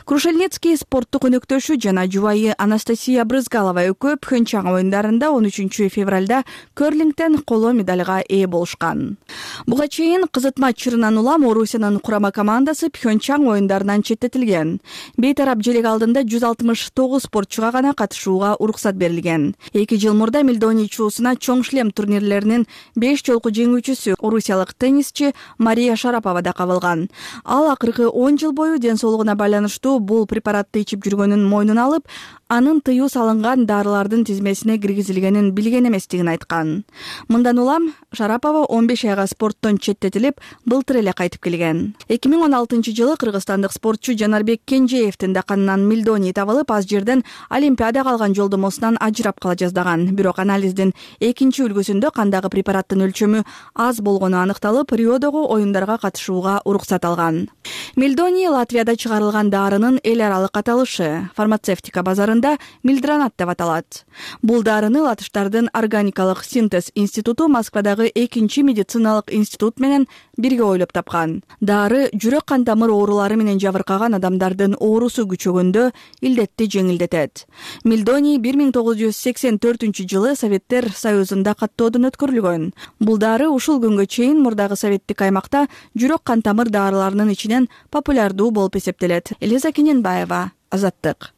Крушельницкий спорттук өнөктөшү жана жубайы Анастасия Брызгалова экөө Пхенчан оюндарында 13 февралда керлингтен коло медальга ээ болушкан. Буга чейин кызытма чырынан улам Орусиянын курама командасы Пхенчан оюндарынан четтетилген. Бейтарап желек алдында 169 спортчуга гана катышууга уруксат берилген. 2 жыл мурда мельдоний чуусуна чоң шлем турнирлеринин 5 жолку жеңүүчүсү орусиялык теннисчи Мария Шарапова да кабылган. Ал акыркы 10 жыл бою ден соолугуна байланыштуу бул препаратты ичип жүргөнүн мойнуна алып, анын тыюу салынган дарылардын тизмесине киргизилгенин билген эместигин айткан. Мындан улам Шарапова 15 айга спорттон четтетилип, былтыр эле кайтып келген. 2016 жылы кыргызстандык спортчу Жанарбек Кенжеевдин да канынан мельдоний табылып, аз жерден Олимпиадага алган жолдомосунан ажырап кала жаздаган. Бирок анализдин экинчи үлгүсүндө кандагы препараттын өлчөмү аз болгону аныкталып, Риодогу оюндарга катышууга уруксат алган. Мельдоний Латвияда чыгарылган дарынын эл аралык аталышы. Фармацевтика базарында милдранат деп аталат. Бул дарыны латыштардын органикалык синтез институту Москвадагы 2 медициналык институт менен бирге ойлоп тапкан. Дары жүрөк кан тамыр оорулары менен жабыркаган адамдардын оорусу күчөгөндө илдетти жеңилдетет. Мельдоний 1984 жылы Советтер Союзунда каттоодон өткөрүлгөн. Бул дары ушул күнгө чейин мурдагы советтик аймакта жүрөк кан тамыр дарыларынын ичинен популярдуу болуп эсептелет. Элиза Кененбаева, Азаттык.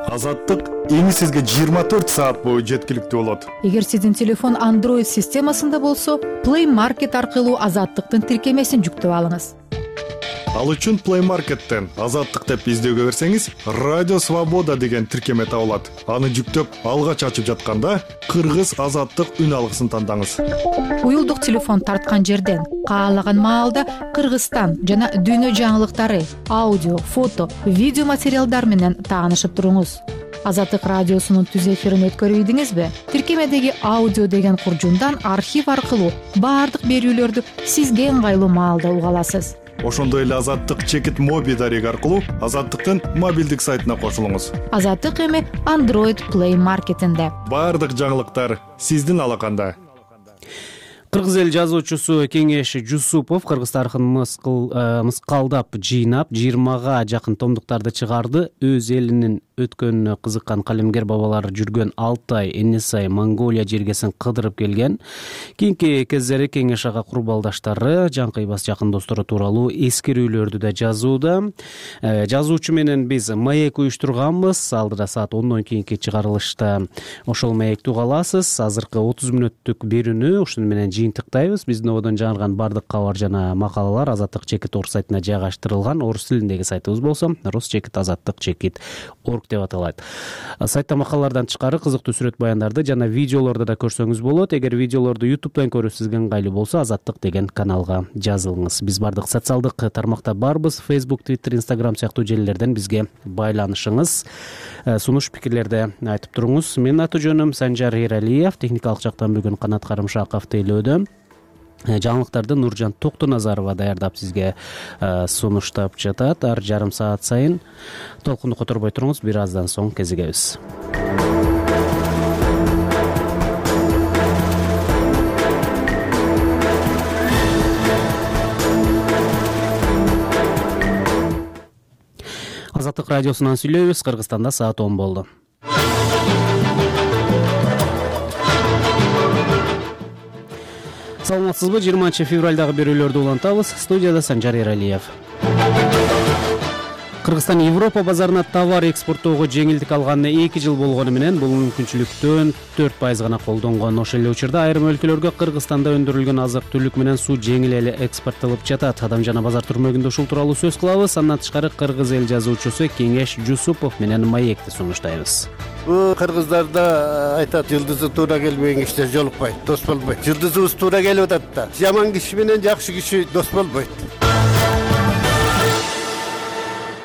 Азаттык эми сизге 24 саат бою жеткиликтүү болот. Эгер сиздин телефон Android системасында болсо, Play Market аркылуу Азаттыктын тиркемесин жүктөп алыңыз. Ал үчүн Play Market'тен Азаттык деп издөөгө берсеңиз, Радио Свобода деген тиркеме табылат. Аны жүктөп, алгач ачып жатканда Кыргыз Азаттык үн алгысын тандаңыз. Уюлдук телефон тарткан жерден каалаган маалда Кыргызстан жана дүйнө жаңылыктары, аудио, фото, видео материалдар менен таанышып туруңуз. Азаттык радиосунун түз эфирин өткөрүп ийдиңизби? Тиркемедеги аудио деген куржундан архив аркылуу баардык берүүлөрдү сизге ыңгайлуу маалда уга аласыз. Ошондой эле Азаттык чекит моби дареги аркылуу Азаттыктын мобилдик сайтына кошулуңуз. Азаттык эми Android Play Market'инде. Баардык жаңылыктар сиздин алаканда. Кыргыз эл жазуучусу Кеңеш Жусупов кыргыз тарыхын мыскалдап жыйнап 20га жакын томдуктарды чыгарды. Өз элинин өткөнүнө кызыккан калемгер бабалары жүргөн Алтай, Энисай, Монголия жергесин кыдырып келген. Кийинки кездери Кеңеш ага курбалдаштары, жанкыйбас жакын достору тууралуу эскерүүлөрдү да жазууда. Жазуучу менен биз маек уюштурганбыз. Алдыда саат 10дон кийинки чыгарылышта ошол маекти уга аласыз. Азыркы 30 мүнөттүк берүүнү ушуну менен жыйынтыктайбыз. Биздин ободон жаңырган бардык кабар жана макалалар Азаттык чекит орг сайтына жайгаштырылган. Орус тилиндеги сайтыбыз болсо rusчекит azаттык-org деп аталат. Сайтта макалалардан тышкары кызыктуу сүрөт баяндарды жана видеолорду да көрсөңүз болот. Эгер видеолорду YouTube'дан көрүү сизге ыңгайлуу болсо, Азаттык деген каналга жазылыңыз. Биз бардык социалдык тармакта барбыз. Facebook, Twitter, Instagram сыяктуу желилерден бизге байланышыңыз. Сунуш пикирлерди айтып туруңуз. Менин аты жөнүм Санжар Эралиев. Техникалык жактан бүгүн Канат Карымшаков тейлөөдө. Жаңылыктарды Нуржан Токтоназарова даярдап сизге сунуштап жатат. Ар жарым саат сайын толкунду которбой туруңуз. Бир аздан соң кезигебиз. Азаттык радиосунан сүйлөйбүз. Кыргызстанда саат 10 болду. Саламатсызбы? 20 февралдагы берүүлөрдү улантабыз. Студияда Санжар Эралиев. Кыргызстан Европа базарына товар экспорттоого жеңилдик алганына 2 жыл болгону менен бул мүмкүнчүлүктөн 4% гана колдонгон. Ошол эле учурда айрым өлкөлөргө Кыргызстанда өндүрүлгөн азык-түлүк менен суу жеңил эле экспорттолуп жатат. Адам жана базар түрмөгүндө ушул тууралуу сөз кылабыз. Андан тышкары кыргыз эл жазуучусу Кеңеш Жусупов менен маекти сунуштайбыз. Бул кыргыздарда айтат, жылдызы туура келбеген кишилер жолукпайт, дос болбойт. Жылдызыбыз туура келип атат да. Жаман киши менен жакшы киши дос болбойт.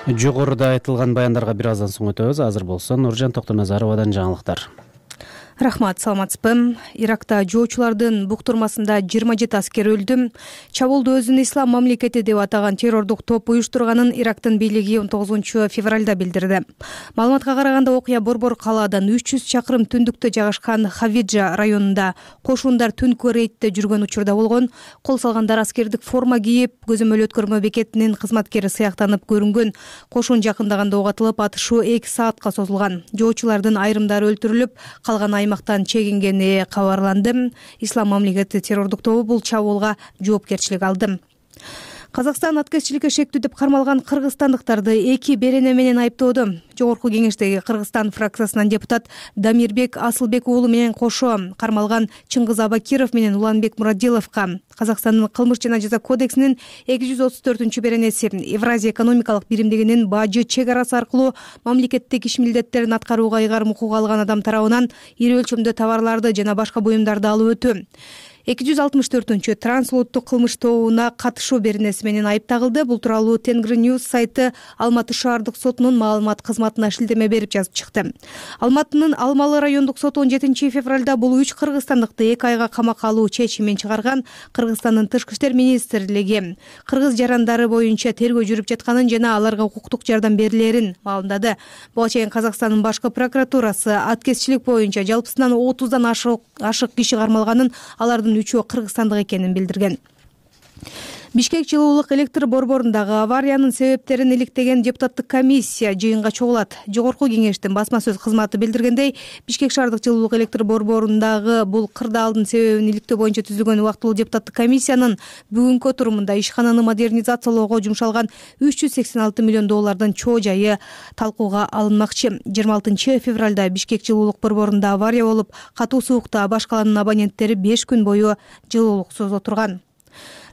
Жогоруда айтылган баяндарга бир аздан соң өтөбүз. Азыр болсо Нуржан Токтоназаровадан жаңылыктар. Рахмат, саламатсызбы? Иракта жоочулардын буктурмасында 27 аскер өлдү. Чабуулду өзүн ислам мамлекети деп атаган террордук топ уюштурганын Ирактын бийлиги 19 февралда билдирди. Маалыматка караганда окуя Борбор калаадан 300 чакырым түндүктө жайгашкан Хавиджа районунда кошундар түнкү рейдте жүргөн учурда болгон. Кол салгандар аскердик форма кийип, көзөмөл өткөрмө бекетинин кызматкери сыяктанып көрүнгөн. Кошун жакындаганда ок атылып, атышуу 2 саатка созулган. Жоочулардын айрымдары өлтүрүлүп, калган аймактан чегингени кабарланды. Ислам мамлекети террордук тобу бул чабуулга жоопкерчилик алды. Казакстан аткезчиликке шектүү деп кармалган кыргызстандыктарды 2 берене менен айыптоодо. Жогорку кеңештеги Кыргызстан фракциясынан депутат Дамирбек Асылбек уулу менен кошо кармалган Чыңгыз Абакиров менен Уланбек Мурадиловго Казакстандын кылмыш жана жаза кодексинин 234 беренеси Евразия экономикалык биримдигинин бажы чек арасы аркылуу мамлекеттик иш милдеттерин аткарууга ыйгарым укук алган адам тарабынан ири өлчөмдө товарларды жана башка буюмдарды алып өтүү 264 трансулуттук кылмыш тобуна катышуу беренеси менен айып тагылды. Бул тууралуу Тенгри News сайты Алматы шаардык сотунун маалымат кызматына шилтеме берип жазып чыкты. Алматынын Алмалы райондук соту 17 февралда бул 3 кыргызстандыкты 2 айга камакка алуу чечимин чыгарган. Кыргызстандын тышкы иштер министрлиги кыргыз жарандары боюнча тергөө жүрүп жатканын жана аларга укуктук жардам берилерин маалымдады. Буга чейин Казакстандын башкы прокуратурасы аткезчилик боюнча жалпысынан 30дан ашык киши кармалганын, алардын 3-өө кыргызстандык экенин билдирген. Бишкек жылуулук электр борборундагы авариянын себептерин иликтеген депутаттык комиссия жыйынга чогулат. Жогорку кеңештин басма сөз кызматы билдиргендей, Бишкек шаардык жылуулук электр борборундагы бул кырдаалдын себебин иликтөө боюнча түзүлгөн убактылуу депутаттык комиссиянын бүгүнкү отурумунда ишкананы модернизациялоого жумшалган 386 миллион доллардын чоо жайы талкууга алынмакчы. 26 февралда Бишкек жылуулук борборунда авария болуп, катуу суукта баш калаанын абоненттери 5 күн бою жылуулуксуз отурган.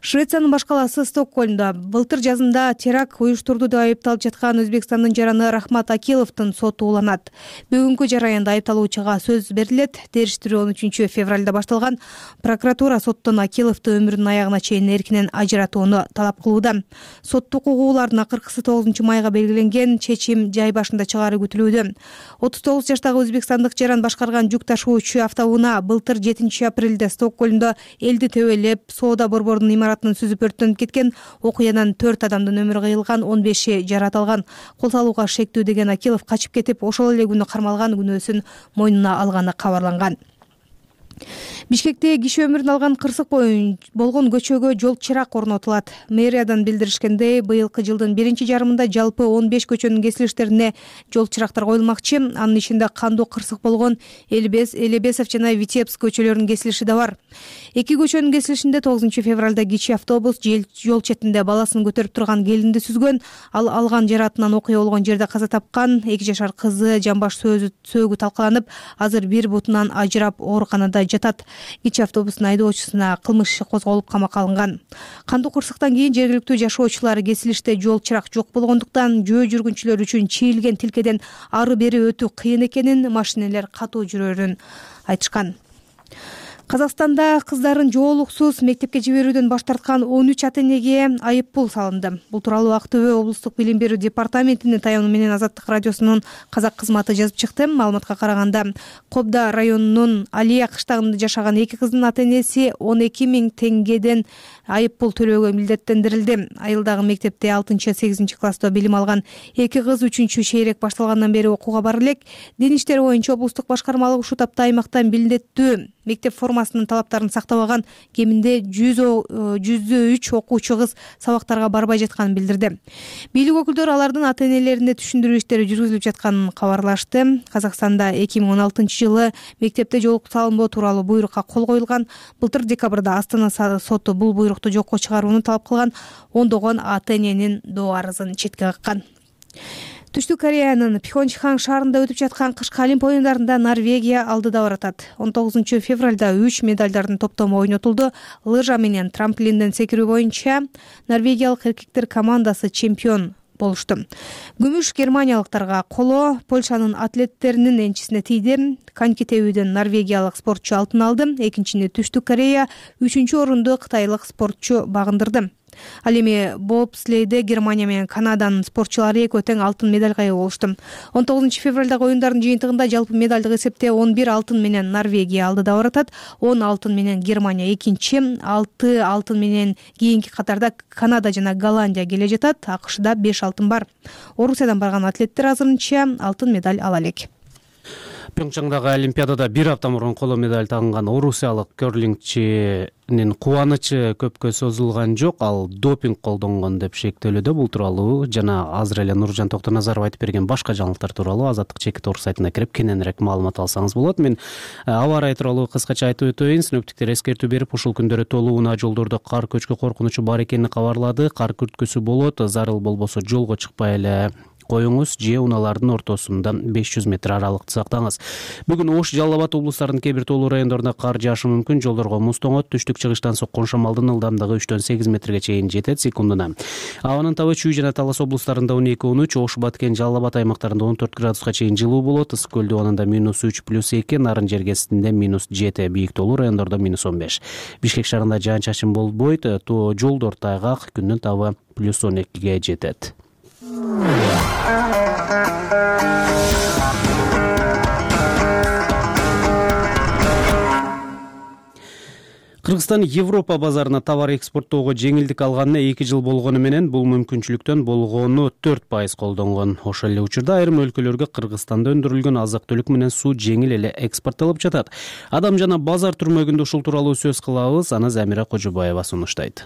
Швециянын баш калаасы Стокгольмдо былтыр жазында теракт уюштурду деп айыпталып жаткан Өзбекстандын жараны Рахмат Акиловдун соту уланат. Бүгүнкү жараянда айыпталуучуга сөз берилет. Териштирүү 13 февралда башталган. Прокуратура соттон Акиловду өмүрүнүн аягына чейин эркинен ажыратууну талап кылууда. Соттук укугулардын акыркысы 9 майга белгиленген, чечим жай башында чыгаары күтүлүүдө. 39 жаштагы өзбекстандык жаран башкарган жүк ташуучу автоунаа былтыр 7 апрелде Стокгольмдо элди төбөлөп, соода борборунун имаратынын сүзүп өрттөнүп кеткен. Окуядан 4 адамдын өмүрү кыйылган, 15 жарат алган. Кол салууга шектүү деген Акилов качып кетип, ошол эле күнү кармалган, күнөөсүн мойнуна алганы кабарланган. Бишкекте киши өмүрүн алган кырсык болгон көчөгө жол чырак орнотулат. Мэриядан билдиришкендей, быйылкы жылдын 1-жарымында жалпы 15 көчөнүн кесилиштерине жол чырактар коюлмакчы. Анын ичинде кандуу кырсык болгон Элебесов жана Витебск көчөлөрүнүн кесилиши да бар. 2 көчөнүн кесилишинде 9 февралда кичи автобус жол четинде баласын көтөрүп турган келинди сүзгөн. Ал алган жаратынан окуя болгон жерде каза тапкан. 2 жашар кызы жамбаш сөөгү талкаланып, азыр бир бутунан ажырап ооруканада жатат. Кичи автобустун айдоочусуна кылмыш иши козголуп камакка алынган. Кандуу кырсыктан кийин жергиликтүү жашоочулар кесилиште жол чырак жок болгондуктан жөө жүргүнчүлөр үчүн чийилген тилкеден ары бери өтүү кыйын экенин, машинелер катуу жүрөрүн айтышкан. Казакстанда кыздарын жоолуксуз мектепке жиберүүдөн баш тарткан 13 ата-энеге айып пул салынды. Бул тууралуу Актөбө облустук билим берүү департаментинин таяуну менен Азаттык радиосунун казак кызматы жазып чыкты. Маалыматка караганда, Кобда районунун Алия кыштагында жашаган 2 кыздын ата-энеси 12 000 теңгеден айып пул төлөөгө милдеттендирилди. Айылдагы мектепте 6-8 класста билим алган 2 кыз 3 шейрек башталгандан бери окууга бара элек. Дин иштери боюнча облустук башкармалык ушул тапта аймактан милдеттүү мектеп формасынын талаптарын сактабаган кеминде 103 окуучу кыз сабактарга барбай жатканын билдирди. Бийлик өкүлдөрү алардын ата-энелерине түшүндүрүү иштери жүргүзүлүп жатканын кабарлашты. Казакстанда 2016-жылы мектепте жоолук салынбоо тууралуу буйрукка кол коюлган. Былтыр декабрда Астана соту бул буйрукту жокко чыгарууну талап кылган. Ондогон ата-эненин доо арызын четке каккан. Түштүк Кореянын Пхёнчхан шаарында өтүп жаткан кышкы Олимп оюндарында Норвегия алдыда баратат. 19 февралда 3 медалдардын топтому ойнотулду. Лыжа менен трамплинден секирүү боюнча норвегиялык эркектер командасы чемпион болушту. Күмүш германиялыктарга, коло Польшанын атлеттеринин энчисине тийди. Коньки тебүүдөн норвегиялык спортчу алтын алды. Экинчини Түштүк Корея, 3-орунду кытайлык спортчу багындырды. Ал эми бобслейде Германия менен Канаданын спортчулары экөө тең алтын медалга ээ болушту. 19 февралдагы оюндардын жыйынтыгында жалпы медалдык эсепте 11 алтын менен Норвегия алдыда баратат. 10 алтын менен Германия экинчи, 6 алтын менен кийинки катарда Канада жана Голландия келе жатат. АКШда 5 алтын бар. Орусиядан барган атлеттер азырынча алтын медаль ала элек. Пьончжаңдагы Олимпиадада 1 апта мурун коло медаль тагынган орусиялык керлингчинин кубанычы көпкө созулган жок. Ал допинг колдонгон деп шектелүүдө. Бул тууралуу жана азыр эле Нуржан Токтоназаров айтып берген башка жаңылыктар тууралуу Азаттык чекит орус сайтына кирип кененирээк маалымат алсаңыз болот. Мен аба ырайы тууралуу кыскача айтып өтөйүн. Синоптиктер эскертүү берип, ушул күндөрү толууна жолдордо кар көчкү коркунучу бар экенин кабарлады. Кар күрткүсү болот. Зарыл болбосо жолго чыкпай эле коюңуз же унаалардын ортосунда 500 метр аралыкты сактаңыз. Бүгүн Ош, Жалал Абад облустарынын кээ бир тоолуу райондорунда кар жаашы мүмкүн. Жолдорго муз тоңот. Түштүк-чыгыштан соккон шамалдын ылдамдыгы 3-8 метрге чейин жетет секундуна. Абанын табы Чүй жана Талас облустарында 12-13, Ош, Баткен, Жалал Абад аймактарында 14 градуска чейин жылуу болот. Ысык көл дубанында -3+2, Нарын жергесинде -7, бийик тоолуу райондордо -15. Бишкек шаарында жаан-чачын болбойт. Жолдор тайгак, күндүн табы +12ге жетет. Кыргызстан Европа базарына товар экспорттоого жеңилдик алганына 2 жыл болгону менен бул мүмкүнчүлүктөн болгону 4% колдонгон. Ошол эле учурда айрым өлкөлөргө Кыргызстанда өндүрүлгөн азык-түлүк менен суу жеңил эле экспорттолуп жатат. Адам жана базар түрмөгүндө ушул тууралуу сөз кылабыз. Аны Замира Кожобаева сунуштайт.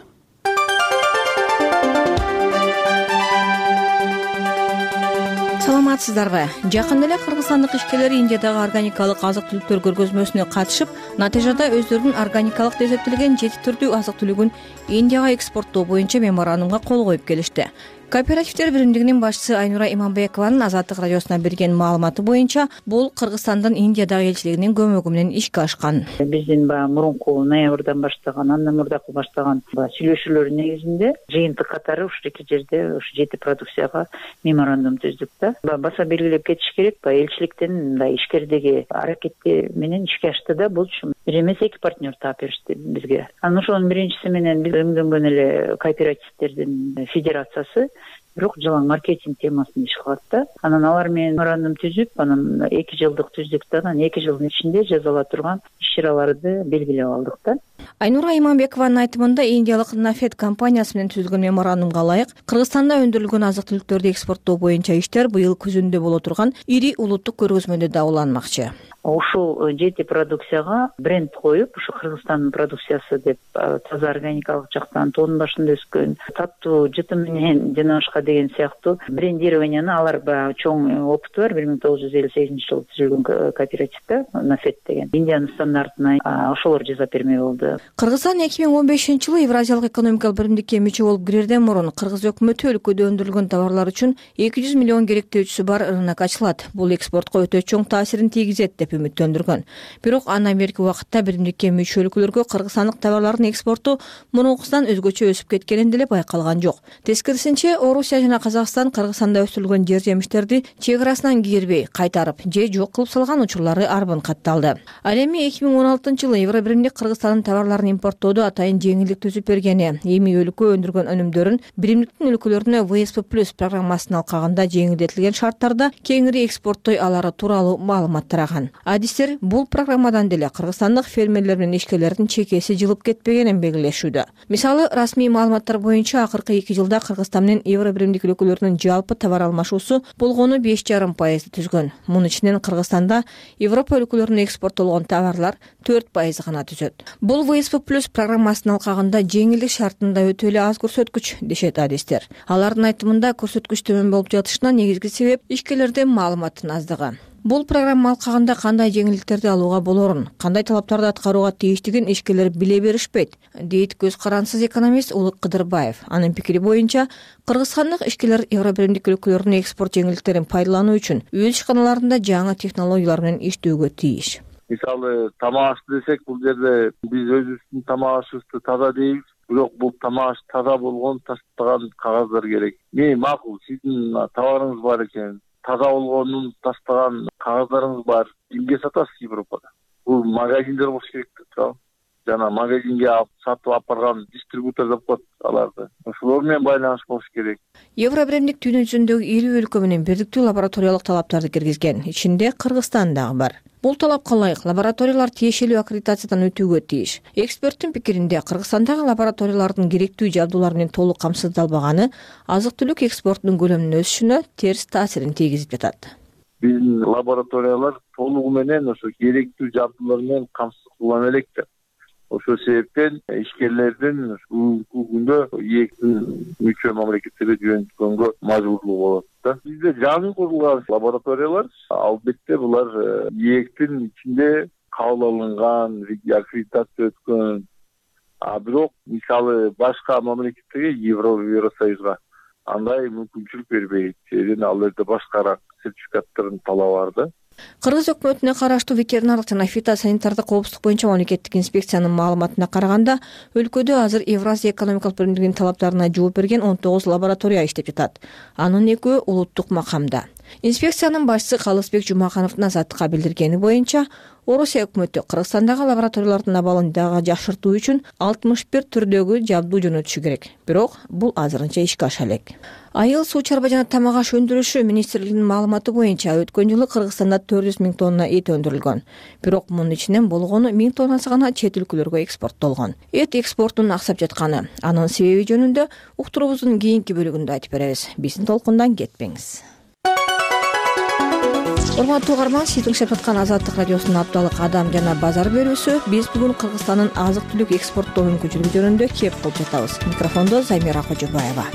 Саламатсыздарбы? Жакында эле кыргызстандык ишкерлер Индиядагы органикалык азык-түлүктөр көргөзмөсүнө катышып, натыйжада өздөрүнүн органикалык деп эсептелген 7 түрдүү азык-түлүгүн Индияга экспорттоо боюнча меморандумга кол коюп келишти. Кооперативдер биримдигинин башчысы Айнура Иманбекованын Азаттык радиосуна берген маалыматы боюнча, бул Кыргызстандын Индиядагы элчилигинин көмөгү менен ишке ашкан. Биздин мурунку ноябрдан баштаган, андан мурдакы баштаган сүйлөшүүлөрдүн негизинде жыйынтык катары ушул эки жерде ушу 7 продукцияга меморандум түздүк да. Баса белгилеп кетиш керек, элчиликтин мындай ишкердеги аракети менен ишке ашты да. Бул бир эмес 2 партнер таап беришти бизге. Анан ошонун биринчиси менен биз өңдөнгөн эле кооперативдердин федерациясы бирок жалаң маркетинг темасын иш кылат да. Анан алар менен меморандум түзүп, анан 2 жылдык түздүк да. Анан 2 жылдын ичинде жасала турган иш-чараларды белгилеп алдык да. Айнура Иманбекованын айтымында Индиялык Нафед компаниясы менен түзүлгөн меморандумга ылайык Кыргызстанда өндүрүлгөн азык-түлүктөрдү экспорттоо боюнча иштер быйыл күзүндө боло турган ири улуттук көргөзмөдө да уланмакчы. Ушул 7 продукцияга бренд коюп, ушу Кыргызстандын продукциясы деп таза органикалык жактан тоонун башында өскөн, таттуу жыты менен жана башка деген сыяктуу брендированияны алар чоң опыту бар. 1958-жылы түзүлгөн кооператив да, Нафед деген. Индиянын стандартына ошолор жасап берме болду. Кыргызстан 2015-жылы Евразиялык экономикалык биримдикке мүчө болуп кирерден мурун кыргыз өкмөтү өлкөдө өндүрүлгөн товарлар үчүн 200 миллион керектөөчүсү бар рынок ачылат. Бул экспортко өтө чоң таасирин тийгизет деп үмүттөндүргөн. Бирок андан берки убакытта биримдикке мүчө өлкөлөргө кыргызстандык товарлардын экспорту мурункусунан өзгөчө өсүп кеткенин деле байкалган жок. Тескерисинче, Орусия жана Казакстан Кыргызстанда өстүрүлгөн жер жемиштерди чек арасынан кийирбей кайтарып же жок кылып салган учурлары арбын катталды. Ал эми 2016-жылы Евро биримдик Кыргызстандын товарларын импорттоодо атайын жеңилдик түзүп бергени, эми өлкө өндүргөн өнүмдөрүн биримдиктин өлкөлөрүнө ВСП+ программасына алкагында жеңилдетилген шарттарда кеңири экспорттой алары тууралуу маалымат тараган. Адистер бул программадан деле кыргызстандык фермерлер менен ишкерлердин чекеси жылып кетпегенин белгилешүүдө. Мисалы, расмий маалыматтар боюнча акыркы 2 жылда Кыргызстан менен Евро биримдик өлкөлөрүнүн жалпы товар алмашуусу болгону 5,5% түзгөн. Мунун ичинен Кыргызстанда Европа өлкөлөрүнө экспорттолгон товарлар 4% гана түзөт. Бул ВСП+ программасынын алкагында жеңилдик шартында өтө эле аз көрсөткүч, дешет адистер. Алардын айтымында көрсөткүч төмөн болуп жатышына негизги себеп ишкерлердин маалыматтын аздыгы. Бул программа алкагында кандай жеңилдиктерди алууга болорун, кандай талаптарды аткарууга тийиштигин ишкерлер биле беришпейт, дейт көз карансыз экономист Улук Кыдырбаев. Анын пикири боюнча, кыргызстандык ишкерлер Евро биримдик өлкөлөрүнүн экспорт жеңилдиктерин пайдалануу үчүн өз ишканаларында жаңы технологиялар менен иштөөгө тийиш. Мисалы, тамак аш десек, бул жерде биз өзүбүздүн тамак ашыбызды таза дейбиз, бирок бул тамак аш таза болгон тастаган кагаздар керек. Макул, сиздин товарыңыз бар экен, таза болгонун тастаган кагаздарыңыз бар. Эмге сатасыз Европада? Бул магазиндер болуш керек да. Жана магазинге алып сатып алып барган дистрибутор деп коет аларды. Ошолор менен байланыш болуш керек. Евро биримдик дүйнө жүзүндөгү 50 өлкө менен бирдиктүү лабораториялык талаптарды киргизген. Ичинде Кыргызстан дагы бар. Бул талапка ылайык лабораториялар тиешелүү аккредитациядан өтүүгө тийиш. Эксперттин пикиринде, Кыргызстандагы лабораториялардын керектүү жабдуулар менен толук камсыздалбаганы азык-түлүк экспортунун көлөмүнүн өсүшүнө терс таасирин тийгизип жатат. Биздин лабораториялар толугу менен ошо керектүү жабдуулар менен камсыздалбай элек. Ошол себептен ишкерлердин бүгүнкү күндө ээктин мүчө мамлекеттерге жөнөткөнгө мажбурлугу болот да. Бизде жаңы курулган лабораториялар, албетте булар ээктин ичинде кабыл алынган, аккредитация өткөн. Бирок мисалы башка мамлекеттерге, Евросоюзга андай мүмкүнчүлүк бербейт. Себеби ал жерде башкараак сертификаттардын талабы бар да. Кыргыз өкмөтүнө караштуу ветеринардык жана фитосанитардык коопсуздук боюнча мамлекеттик инспекциянын маалыматына караганда, өлкөдө азыр Евразия экономикалык биримдигинин талаптарына жооп берген 19 лаборатория иштеп жатат. Анын 2-өө улуттук макамда. Инспекциянын башчысы Калысбек Жумакановдун Азаттыкка билдиргени боюнча, Орусия өкмөтү Кыргызстандагы лабораториялардын абалын дагы жакшыртуу үчүн 61 түрдөгү жабдуу жөнөтүшү керек. Бирок бул азырынча ишке аша элек. Айыл, суу чарба жана тамак аш өндүрүшү министрлигинин маалыматы боюнча өткөн жылы Кыргызстанда 400 000 тонна эт өндүрүлгөн. Бирок мунун ичинен болгону 1000 тоннасы гана чет өлкөлөргө экспорттолгон. Эт экспортунун аксап жатканы, анын себеби жөнүндө уктуруубуздун кийинки бөлүгүндө айтып беребиз. Биздин толкундан кетпеңиз. Урматтуу угарман, сиз тыңшап жаткан Азаттык радиосунун апталык адам жана базар берүүсү. Биз бүгүн Кыргызстандын азык-түлүк экспорттоо мүмкүнчүлүгү жөнүндө кеп кылып жатабыз. Микрофондо Замира Кожобаева.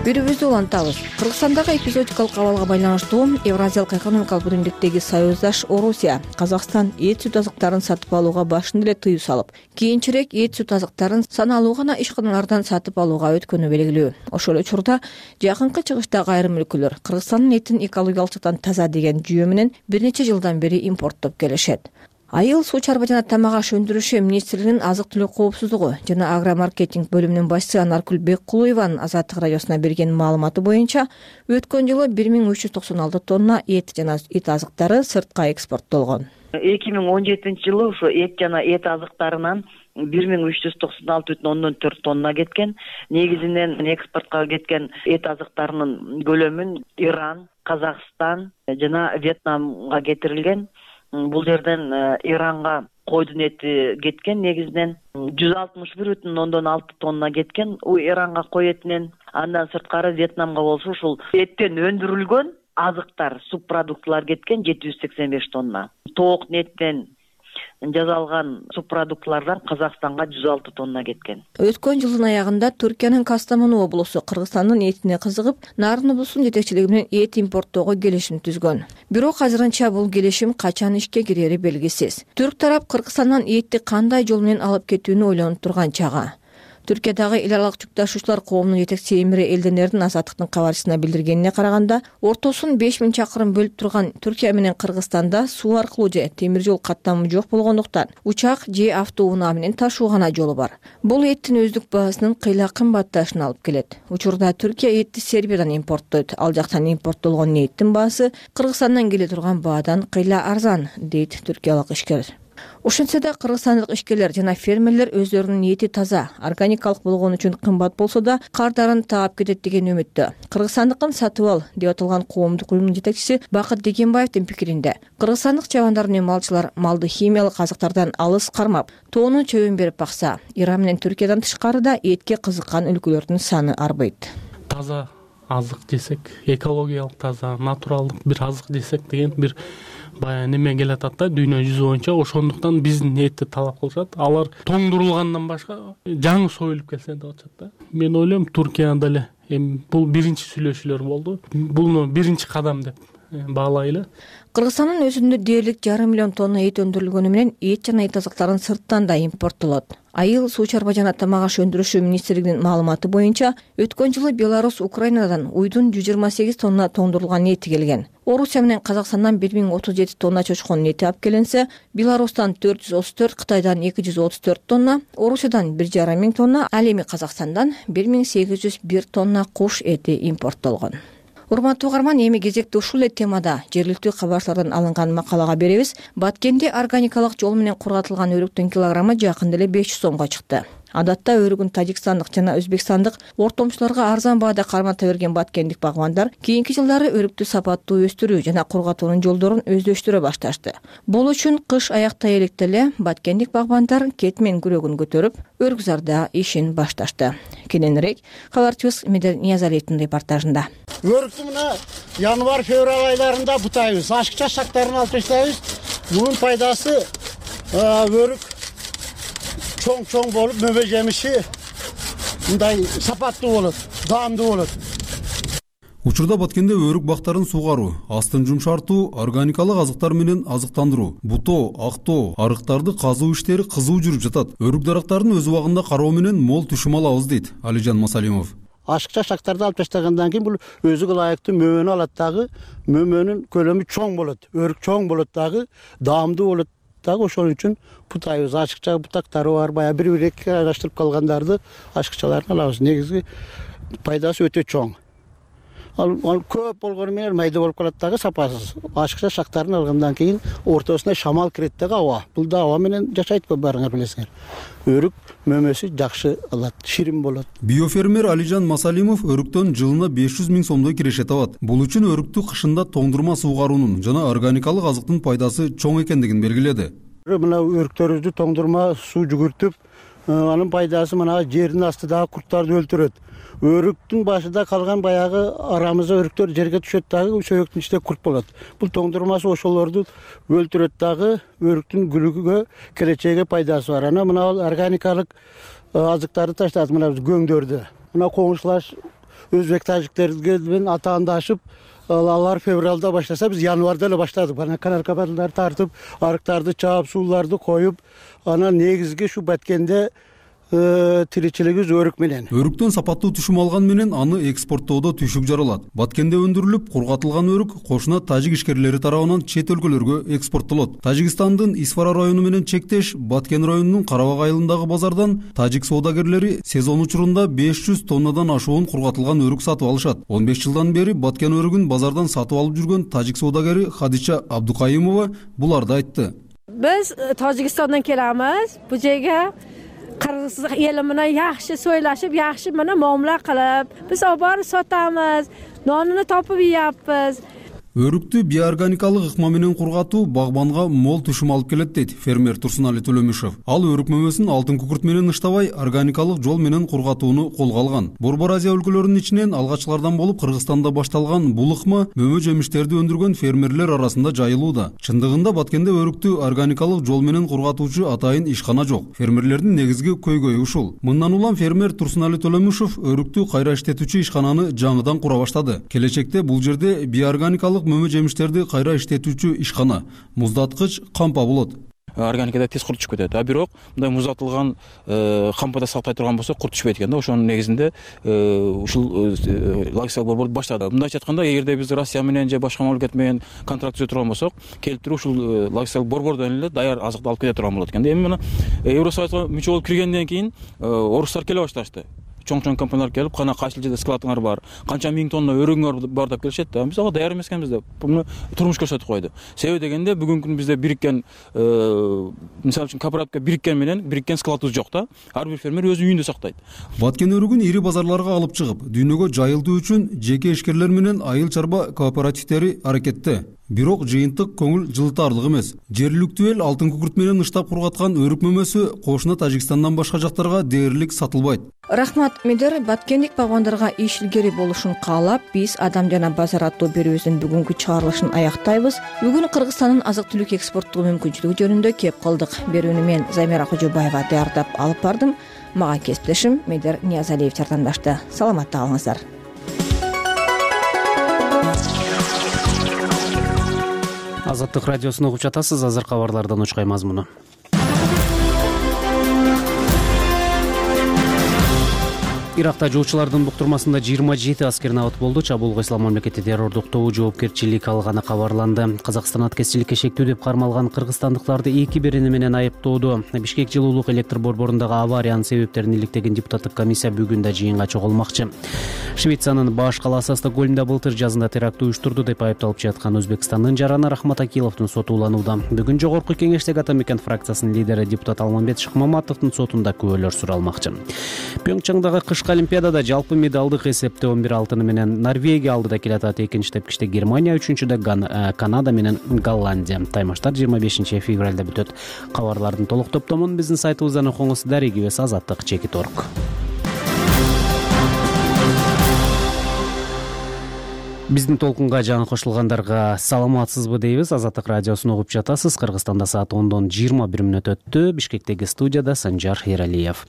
Берүүбүздү улантабыз. Кыргызстандагы эпизодикалык абалга байланыштуу Евразиялык экономикалык биримдиктеги союздаш Орусия Казакстан эт сүт азыктарын сатып алууга башында эле тыюу салып, кийинчерээк эт сүт азыктарын саналуу гана ишканалардан сатып алууга өткөнү белгилүү. Ошол учурда жакынкы чыгыштагы айрым өлкөлөр Кыргызстандын этин экологиялык жактан таза деген жүйө менен бир нече жылдан бери импорттоп келишет. Айыл, суу чарба жана тамак аш өндүрүшү министрлигинин азык-түлүк коопсуздугу жана агромаркетинг бөлүмүнүн башчысы Анаркүл Беккулуеванын Азаттык радиосуна берген маалыматы боюнча, өткөн жылы 1396 тонна эт жана эт азыктары сыртка экспорттолгон. 2017 ушу эт жана эт азыктарынан 1396,4 тонна кеткен. Негизинен экспортко кеткен эт азыктарынын көлөмүн Иран, Казакстан жана Вьетнамга кетирилген. Бул жерден Иранга койдун эти кеткен, негизинен 161,6 тонна кеткен. Иранга кой этинен, андан сырткары Вьетнамга болсо ушул эттен өндүрүлгөн азыктар, субпродуктылар кеткен 785 тонна. Тоок этинен жасалган субпродуктылардан Казакстанга 106 тонна кеткен. Өткөн жылдын аягында Түркиянын Кастамону облусу Кыргызстандын этине кызыгып, Нарын облусунун жетекчилиги менен эт импорттоого келишим түзгөн. Бирок азырынча бул келишим качан ишке кирери белгисиз. Түрк тарап Кыргызстандан этти кандай жол менен алып кетүүнү ойлонуп турган чагы. Түркиядагы эл аралык жүк ташуучулар коомунун жетекчиси Эмире Элденердин Азаттыктын кабарчысына билдиргенине караганда, ортосун 5000 чакырым бөлүп турган Түркия менен Кыргызстанда суу аркылуу же темир жол каттамы жок болгондуктан учак же автоунаа менен ташуу гана жолу бар. Бул эттин өздүк баасынын кыйла кымбатташына алып келет. Учурда Түркия этти Сербиядан импорттойт. Ал жактан импорттолгон эттин баасы Кыргызстандан келе турган баадан кыйла арзан, дейт түркиялык ишкер. Ошентсе да кыргызстандык ишкерлер жана фермерлер өздөрүнүн эти таза, органикалык болгон үчүн кымбат болсо да кардарын таап кетет деген үмүттө. Кыргызстандыкын сатып ал деп аталган коомдук уюмдун жетекчиси Бакыт Дегенбаевдин пикиринде, кыргызстандык чабандар менен малчылар малды химиялык азыктардан алыс кармап, тоонун чөбүн берип бакса, Иран менен Түркиядан тышкарыда этке кызыккан өлкөлөрдүн саны арбайт. Таза азык десек, экологиялык таза, натуралдык бир азык десек деген бир баягы неме келатат да, дүйнө жүзү боюнча. Ошондуктан биздин этти талап кылышат. Алар тоңдурулгандан башка жаңы союлуп келсе деп атышат да. Мен ойлойм, Туркияда эле бул биринчи сүйлөшүүлөр болду. Буну биринчи кадам деп баалайлы. Кыргызстандын өзүндө дээрлик 1,5 миллион тонна эт өндүрүлгөнү менен эт жана эт азыктарын сырттан да импорттолот. Айыл суу чарба жана тамак аш өндүрүшү министрлигинин маалыматы боюнча, өткөн жылы Беларусь Украинадан уйдун 128 тонна тоңдурулган эти келген. Орусия менен Казакстандан 1037 тонна чочконун эти алып келинсе, Беларустан 434, Кытайдан 234 тонна, Орусиядан 1,5 тонна, ал эми Казакстандан 1801 тонна куш эти импорттолгон. Урматтуу угарман, эми кезекти ушул эле темада жергиликтүү кабарчылардан алынган макалага беребиз. Баткенде органикалык жол менен кургатылган өрүктүн килограммы жакында эле 500 сомго чыкты. Адатта өрүгүн тажикстандык жана өзбекстандык ортомчуларга арзан баада кармата берген баткендик багбандар кийинки жылдары өрүктү сапаттуу өстүрүү жана кургатуунун жолдорун өздөштүрө башташты. Бул үчүн кыш аяктай электе эле баткендик багбандар кетмен күрөгүн көтөрүп, өргүзарда ишин башташты. Кененирээк кабарчыбыз Медер Ниязалиевдин репортажында. Өрүктү мына январь-февраль айларында бутайбыз, ашыкча шактарын алып таштайбыз. Мунун пайдасы өрүк чоң болуп, мөбө жемиши мындай сапаттуу болот, даамдуу болот. Учурда Баткенде өрүк бактарын сугаруу, астын жумшартуу, органикалык азыктар менен азыктандыруу, бутоо, актоо, арыктарды казуу иштери кызуу жүрүп жатат. Өрүк дарактарын өз убагында кароо менен мол түшүм алабыз, дейт Алижан Масалимов. Ашыкча шактарды алып таштагандан кийин бул өзүгө ылайыктуу мөмөнү алат дагы, мөмөнүн көлөмү чоң болот, өрүк чоң болот дагы, даамдуу болот дагы. Ошон үчүн бутайбыз. Ашыкча бутактары бар, баягы бир-бирге аралаштырып калгандарды ашыкчаларын алабыз. Негизги пайдасы өтө чоң. Ал көп болгону менен майда болуп калат дагы, сапасыз. Ашыкча шактарын алгандан кийин ортосуна шамал кирет дагы, аба. Бул да аба менен жашайтпы, барыңар билесиңер. Өрүк мөмөсү жакшы алат, ширин болот. Биофермер Алижан Масалимов өрүктөн жылына 500 000 сомдой киреше табат. Бул үчүн өрүктү кышында тоңдурма суугаруунун жана органикалык азыктын пайдасы чоң экендигин белгиледи. Мына өрүктөрүбүздү тоңдурма суу жүгүртүп, анын пайдасы мына жердин астындагы курттарды өлтүрөт. Өрүктүн башында калган баягы арамызда өрүктөр жерге түшөт дагы, сөөктүн ичинде курт болот. Бул тоңдурмасы ошолорду өлтүрөт дагы, өрүктүн гүлүгүгө, келечеге пайдасы бар. Ана мына органикалык азыктарды таштат, мына көңдөрдү. Мына коңшулаш өзбек тажиктерге менен атаандашып, алар февралда баштаса, биз январда эле баштадык. Ана канаркабарларды тартып, арыктарды чаап, сууларды коюп, ана негизги ушу Баткенде тиричилигибиз өрүк менен. Өрүктөн сапаттуу түшүм алган менен аны экспорттоодо түйшүк жаралат. Баткенде өндүрүлүп, кургатылган өрүк кошуна тажик ишкерлери тарабынан чет өлкөлөргө экспорттолот. Тажикстандын Исфара району менен чектеш Баткен районунун Карабак айылындагы базардан тажик соодагерлери сезон учурунда 500 тоннадан ашуун кургатылган өрүк сатып алышат. 15 жылдан бери Баткен өрүгүн базардан сатып алып жүргөн тажик соодагери Хадича Абдукайымова буларды айтты. Биз Тажикстандан келебиз. Бу жерге Кыргыз ели менен жакшы сойлашып, жакшы менен муомила кылып, биз алып барып сатабыз, нонуну топуп ийапбыз. Өрүктү биоорганикалык ыкма менен кургатуу багбанга мол түшүм алып келет дейт фермер Турсунали Төлөмүшев. Ал өрүк мөмөсүн алтын күкүрт менен ыштабай органикалык жол менен кургатууну колго алган. Борбор Азия өлкөлөрүнүн ичинен алгачкылардан болуп Кыргызстанда башталган бул ыкма мөмө жемиштерди өндүргөн фермерлер арасында жайылууда. Чындыгында Баткенде өрүктү органикалык жол менен кургатуучу атайын ишкана жок. Фермерлердин негизги көйгөйү ушул. Мындан улам фермер Турсунали Төлөмүшев өрүктү кайра иштетүүчү ишкананы жаңыдан кура баштады. Келечекте бул жерде биоорганикалык мөмө жемиштерди кайра иштетүүчү ишкана, муздаткыч, кампа болот. Органикада тез курт түшүп кетет. Бирок мындай муздатылган кампада сактай турган болсо курт түшпөйт экен да. Ошонун негизинде ушул логистикалык борбор баштады. Мындайча айтканда, эгерде биз Россия менен же башка мамлекет менен контракт түзө турган болсок, келип туруп ушул логистикалык борбордон эле даяр азыкты алып кете турган болот экен. Эми мына Евросоюзга мүчө болуп киргенден кийин орустар келе башташты. Чоң компаниялар келип, кана кайсыл жерде складыңар бар, канча миң тонна өрүгүңөр бар деп келишет да. Биз ага даяр эмес экенбиз деп буну турмуш көрсөтүп койду. Себеби дегенде бүгүнкү күндө бизде бириккен, мисалы үчүн кооперативге бириккен менен бириккен складыбыз жок да. Ар бир фермер өз үйүндө сактайт. Баткен өрүгүн ири базарларга алып чыгып, дүйнөгө жайылтуу үчүн жеке ишкерлер менен айыл чарба кооперативдери аракетте. Бирок жыйынтык көңүл жылытарлык эмес. Жергиликтүү эл алтын күкүрт менен ыштап кургаткан өрүк мөмөсү кошуна Тажикстандан башка жактарга дээрлик сатылбайт. Рахмат Медер. Баткендик багбандарга иш илгери болушун каалап, биз Адам жана базар аттуу берүүбүздүн бүгүнкү чыгарылышын аяктайбыз. Бүгүн Кыргызстандын азык-түлүк экспорттоо мүмкүнчүлүгү жөнүндө кеп кылдык. Берүүнү мен Замира Кожобаева даярдап алып бардым. Мага кесиптешим Медер Ниязалиев жардамдашты. Саламатта калыңыздар. Азаттык радиосун угуп жатасыз. Азыр кабарлардан учкай мазмуну. Иракта жоочулардын буктурмасында 27 аскер набат болду. Чабуулга ислам мамлекети террордук тобу жоопкерчилик алганы кабарланды. Казакстан аткезчиликке шектүү деп кармалган кыргызстандыктарды эки берени менен айыптоодо. Бишкек жылуулук электр борборундагы авариянын себептерин иликтеген депутаттык комиссия бүгүн да жыйынга чогулмакчы. Швециянын баш калаасы Стокгольмда былтыр жазында теракт уюштурду деп айыпталып жаткан Өзбекстандын жараны Рахмат Акиловдун соту уланууда. Бүгүн жогорку кеңештеги Атамекен фракциясынын лидери депутат Алмамбет Шыкмаматовдун сотунда күбөлөр суралмакчы. Пьонгчангдагы кышкы Олимпиадада жалпы медалдык эсепте 11 алтыны менен Норвегия алдыда келатат. Экинчи тепкичте Германия, үчүнчүдө Канада менен Голландия. Таймаштар 25 февралда бүтөт. Кабарлардын толук топтомун биздин сайтыбыздан окуңуз. Дарегибиз Азаттык.org. Биздин толкунга жаңы кошулгандарга саламатсызбы дейбиз. Азаттык радиосун угуп жатасыз. Кыргызстанда саат 10:20 өттү. Бишкектеги студияда Санжар Эралиев.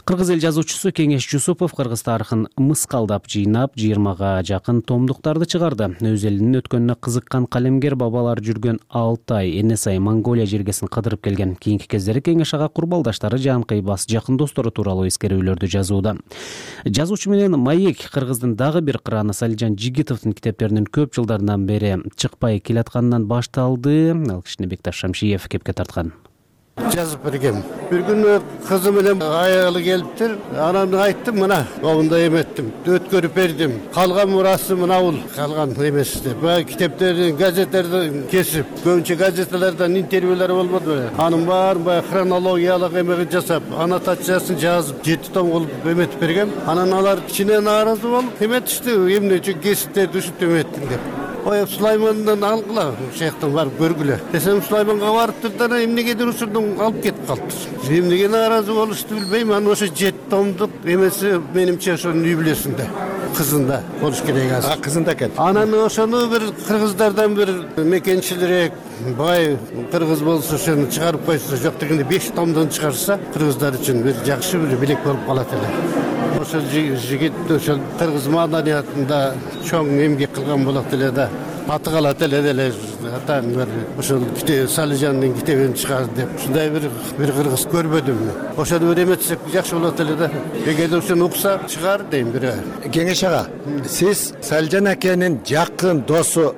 Кыргыз эл жазуучусу Кеңеш Жусупов кыргыз тарыхын мыскалдап жыйнап 20га жакын томдуктарды чыгарды. Өз элинин өткөнүнө кызыккан калемгер бабалар жүргөн Алтай, Энесай, Монголия жергесин кыдырып келген. Кийинки кездери Кеңеш ага курбалдаштары, жанкыйбас, жакын достору тууралуу эскерүүлөрдү жазууда. Жазуучу менен маек Кыргыздын дагы бир кыраны Салижан Жигитовдун китептеринин көп жылдардан бери чыкпай келатканынан башталды. Ал кишини Бекташ Шамшиев кепке тарткан. Жазып бергем. Бир күнү кызы менен аялы келиптир. Анан айттым, мына огунда эметтим, өткөрүп бердим. Калган мурасы мына бул, калган эмес деп. Баягы китептерди, газеттерди кесип, көбүнчө газеталардан интервьюлар болбоду. Анын баарын баягы хронологиялык эме жасап, аннотациясын жазып, 7 том кылып эметип бергем. Анан алар кичине нааразы болуп, эметишти, эмне үчүн кесиптерди ушинтип эметтиң деп. Ой, Сулаймандан алгыла, шехтен барып көргүлө. Десем Сулайманга барыптыр да эмнегедир ушундан алып кетип калыптыр. Эмнеге нааразы болушту билбейм. Анан ошо 7 томдук эмеси менимче ошонун үй бүлөсүндө, кызында болуш керек азыр. Кызында экен. Анан ошону бир кыргыздардан бир мекенчилирээк бай кыргыз болсо ошону чыгарып койсо, жок дегенде 5 томдон чыгарса, кыргыздар үчүн бир жакшы бир билек болуп калат эле. Ошол жигит ошол кыргыз маданиятында чоң эмгек кылган болот эле да. Аты калат эле деле атаң бир ошол Салижандын китебин чыгарды деп. Ушундай бир кыргыз көрбөдүм. Ошону бир эметсек жакшы болот эле да. Эгерде ошону укса чыгар дейм бир. Кеңеш ага, сиз Салижан акенин жакын досу,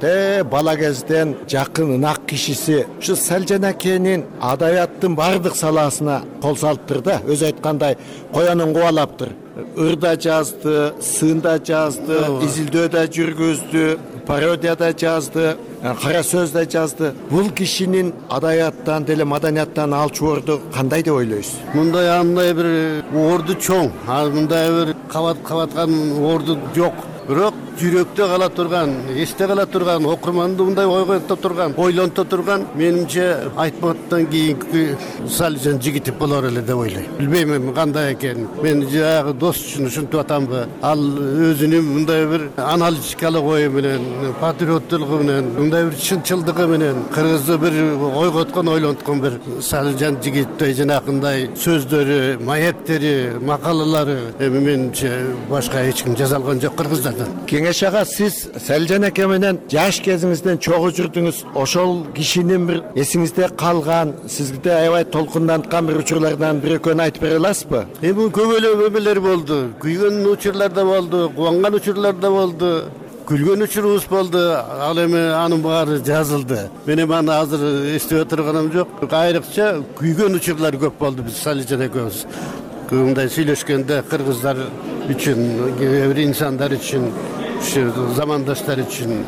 бала кезден жакын ынак кишиси. Ушу Салижан акенин адабияттын бардык саласына кол салыптыр да. Өзү айткандай, коянын кубалаптыр. Ырда жазды, сында жазды, изилдөөдө жүргүздү, пародияда жазды, кара сөздө жазды. Бул кишинин адабияттан деле маданияттан алчу орду кандай деп ойлойсуз? Мындай андай бир орду чоң, мындай бир кабаткан орду жок. Бирок жүрөктө кала турган, эсте кала турган, окурманды мындай ойгонто турган, ойлонто турган, менимче Айтматтан кийинки Салижан Жигитов болор эле деп ойлойм. Билбейм кандай экенин. Мен жанагы дос үчүн ушинтип атамбы. Ал өзүнүн мындай бир аналитикалык ою менен, патриоттулугу менен, мындай бир чынчылдыгы менен кыргызды бир ойготкон, ойлонткон бир Салижан Жигитовдой жанакындай сөздөрү, маектери, макалалары менимче башка эч ким жаза алган жок кыргыздардан. Кеңеш ага, сиз Салижан аке менен жаш кезиңизден чогуу жүрдүңүз. Ошол кишинин бир эсиңизде калган, сизге аябай толкунданткан бир учурлардан бир экөөнү айтып бере аласызбы? Көп эле өмүрлөр болду. Күйгөн учурлар да болду, кубанган учурлар да болду. Күлгөн учурубуз болду. Ал эми анын баары жазылды. Мен эми аны азыр эстеп отурганым жок. Айрыкча күйгөн учурлар көп болду биз Салижан экөөбүз. Мындай сүйлөшкөндө кыргыздар үчүн, бир инсандар үчүн, замандаштар үчүн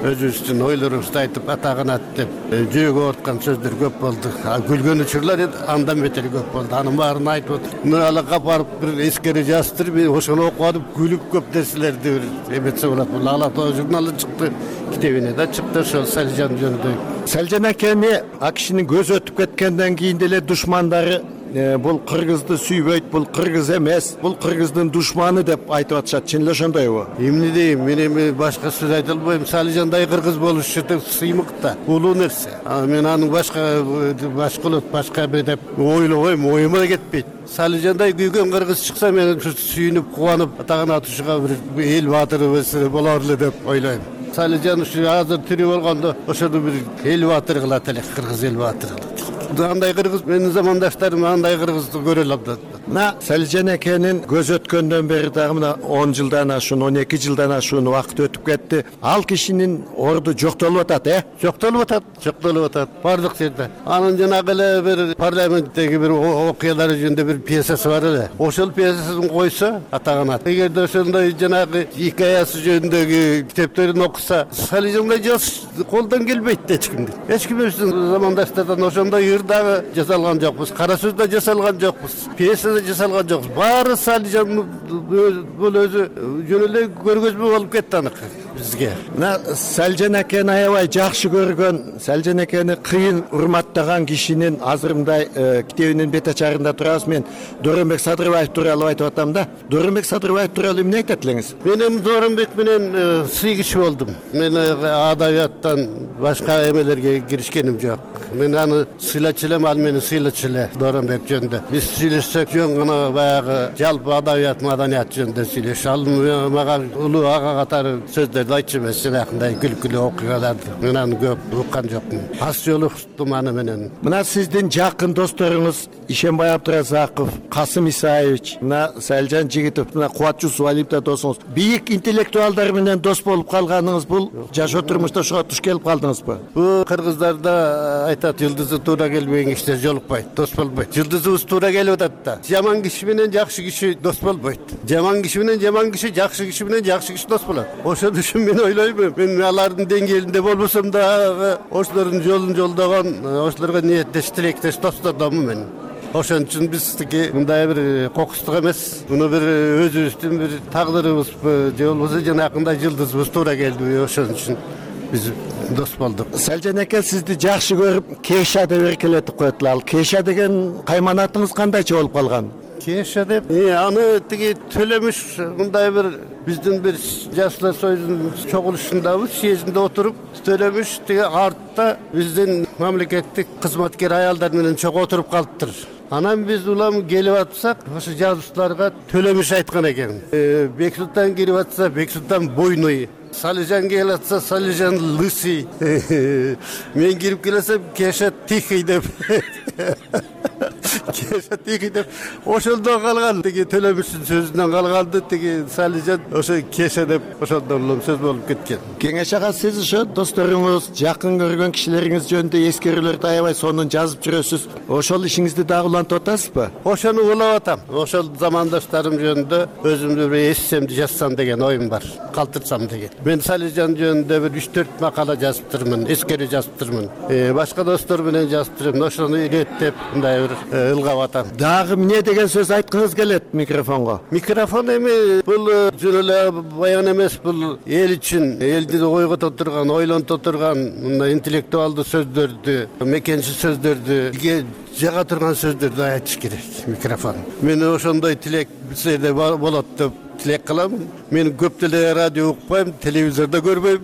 өзүбүздүн ойлорубузду айтып, атаганат деп жүрөгү ооруткан сөздөр көп болду. Күлгөн учурлар андан бетер көп болду. Анын баарын айтып отур. Нуралыкка барып бир эскери жаздыр, мен ошону окуп атып күлүп көп нерселерди бир эметсе болот. Бул Ала Тоо журналы чыкты, китебине да чыкты ошол Салижан жөнүндө. Салижан акени а кишинин көзү өтүп кеткенден кийин деле душмандары бул кыргызды сүйбөйт, бул кыргыз эмес, бул кыргыздын душманы деп айтып атышат. Чын эле ошондойбу? Эмне дейм, мен эми башка сөз айта албайм. Салижандай кыргыз болушу сыймык да, улуу нерсе. Мен анын башка бир деп ойлобойм, оюма да кетпейт. Салижандай күйгөн кыргыз чыкса, мен сүйүнүп, кубанып, атаган атышыга бир эл баатыры болор эле деп ойлойм. Салижан ушу азыр тирүү болгондо ошону бир эл баатыры кылат элек, кыргыз эл баатыры кылат. Андай кыргыз, менин замандаштарым андай кыргызды көрө алат. Мына Салижан акенин көз өткөндөн бери дагы мына 10 жылдан ашуун, 12 жылдан ашуун убакыт өтүп кетти. Ал кишинин орду жоктолуп атат, Жоктолуп атат. Бардык жерде. Анын жанагы эле бир парламенттеги бир окуялары жөнүндө бир пьесасы бар эле. Ошол пьесасын койсо атаганат. Эгерде ошондой жанагы хикаясы жөнүндөгү китептерин окуса, Салижандай жаз колдон келбейт эч кимдин. Эч кимибиздин замандаштардан ошондой дагы жасалган жокпуз, кара сөз да жасалган жокпуз, пьеса да жасалган жокпуз. Баары Салижан бул өзү жөн эле көргөзмө болуп кетти аныкы бизге. Мына Салижан акени аябай жакшы көргөн, Салижан акени кыйын урматтаган кишинин азыр мындай китебинин бет ачарында турабыз. Мен Дооронбек Садырбаев тууралуу айтып атам да. Дооронбек Садырбаев тууралуу эмне айтат элеңиз? Мен эми Дооронбек менен сый киши болдум. Мен адабияттан башка эмелерге киришкеним жок. Мен аны сыйлачу элем, ал мени сыйлачу эле Дооронбек жөнүндө. Биз сүйлөшсөк жөн гана баягы жалпы адабият, маданият жөнүндө сүйлөшүп, ал мага улуу ага катары сөздөрдү айтчу эмес, жанакындай күлкүлүү окуяларды. Мен аны көп уккан жокмун. Аз жолуктум аны менен. Мына сиздин жакын досторуңуз Ишенбай Абдыразаков, Касым Исаевич, мына Салижан Жигитов, мына Кубат Жусупалиев да досуңуз. Бийик интеллектуалдар менен дос болуп калганыңыз бул жашоо турмушта ошого туш келип калдыңызбы? Бул кыргыздарда айтат, жылдызы туура келбеген кишилер жолукпайт, дос болбойт. Жылдызыбыз туура келип атат да. Жаман киши менен жакшы киши дос болбойт. Жаман киши менен жаман киши, жакшы киши менен жакшы киши дос болот. Ошон үчүн мен ойлойм, мен алардын деңгээлинде болбосом да, ошолордун жолун жолдогон, ошолорго ниеттеш, тилектеш достордомун мен. Ошон үчүн биздики мындай бир кокустук эмес, муну бир өзүбүздүн бир тагдырыбызбы, же болбосо жанакындай жылдызыбыз туура келдиби, ошон үчүн биз дос болдук. Салижан аке сизди жакшы көрүп, Кеша деп эркелетип коет. Ал Кеша деген кайманатыңыз кандайча болуп калган? Кеша деп, аны тиги Төлөмүш мындай бир биздин бир Жаштар союзунун чогулушундабы, съездинде отуруп, Төлөмүш тиги артта биздин мамлекеттик кызматкер аялдар менен чогуу отуруп калыптыр. Анан биз улам келип атсак, ошо жазуучуларга Төлөмүш айткан экен. Бексултан кирип атса, Бексултан бойной. Салижан келип атса, Салижан лысый. Мен кирип келсем, Кеша тихий деп. Кеша тихий деп. Ошондон калган, тиги Төлөмүштүн сөзүнөн калганды, тиги Салижан ошо Кеша деп ошондон улам сөз болуп кеткен. Кеңеш ага, сиз ошо досторуңуз, жакын көргөн кишилериңиз жөнүндө эскерүүлөрдү аябай сонун жазып жүрөсүз. Ошол ишиңизди дагы улантып атасызбы? Ошону улап атам. Ошол замандаштарым жөнүндө өзүмдү бир эссемди жазсам деген оюм бар, калтырсам деген. Мен Салижан жөнүндө бир 3-4 макала жазыптырмын, эскери жазыптырмын. Башка достор менен жазыптырмын. Ошону иреттеп, мындай бир кылгап атам. Дагы эмне деген сөз айткыңыз келет микрофонго? Микрофон эми бул жөн эле баян эмес, бул эл үчүн, элди ойгото турган, ойлонто турган мындай интеллектуалдуу сөздөрдү, мекенчи сөздөрдү, элге жага турган сөздөрдү айтыш керек микрофон. Мен ошондой тилек сизде болот деп тилек кылам. Мен көп деле радио укпайм, телевизордо көрбөйм.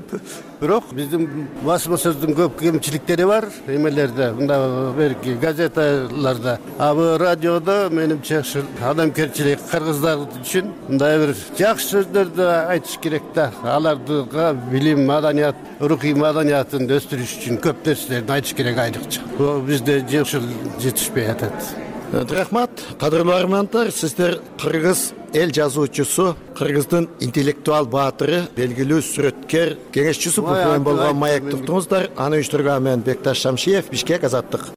Бирок биздин басма сөздүн көп кемчиликтери бар эмелерде, мында берки газеталарда. А бу радиодо менимче адамгерчилик кыргыздар үчүн мындай бир жакшы сөздөрдү айтыш керек да. Аларга билим, маданият, рухий маданиятын өстүрүш үчүн көп нерселерди айтыш керек айрыкча. Бул бизде ушул жетишпей атат. Рахмат, кадырлуу армандар, сиздер кыргыз эл жазуучусу, кыргыздын интеллектуал баатыры, белгилүү сүрөткер, кеңешчиси болгон Маек туттуңуздар. Аны уюштурган мен Бекташ Шамшиев, Бишкек, Азаттык.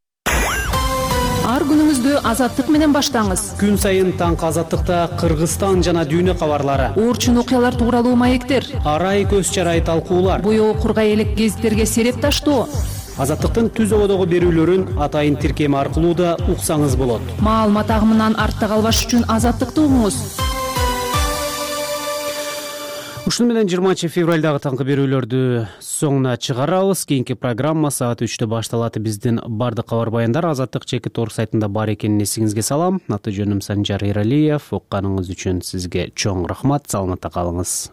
Ар күнүңүздү Азаттык менен баштаңыз. Күн сайын таңкы Азаттыкта Кыргызстан жана дүйнө кабарлары, Орчун окуялар тууралуу маектер, арай көз чарай талкуулар, боёо кургай элек гезиттерге сереп таштоо. Азаттыктын түз ободогу берүүлөрүн атайын тиркеми аркылуу да уксаңыз болот. Маалымат агымынан артта калбаш үчүн Азаттыкты угуңуз. Ушуну менен 20 февралдагы таңкы берүүлөрдү соңуна чыгарабыз. Кийинки программа саат 3-тө башталат. Биздин бардык кабар баяндар Азаттык /org сайтында бар экенин эсиңизге салам. Аты жөнүм Санжар Эралиев. Укканыңыз үчүн сизге чоң рахмат. Саламатта калыңыз.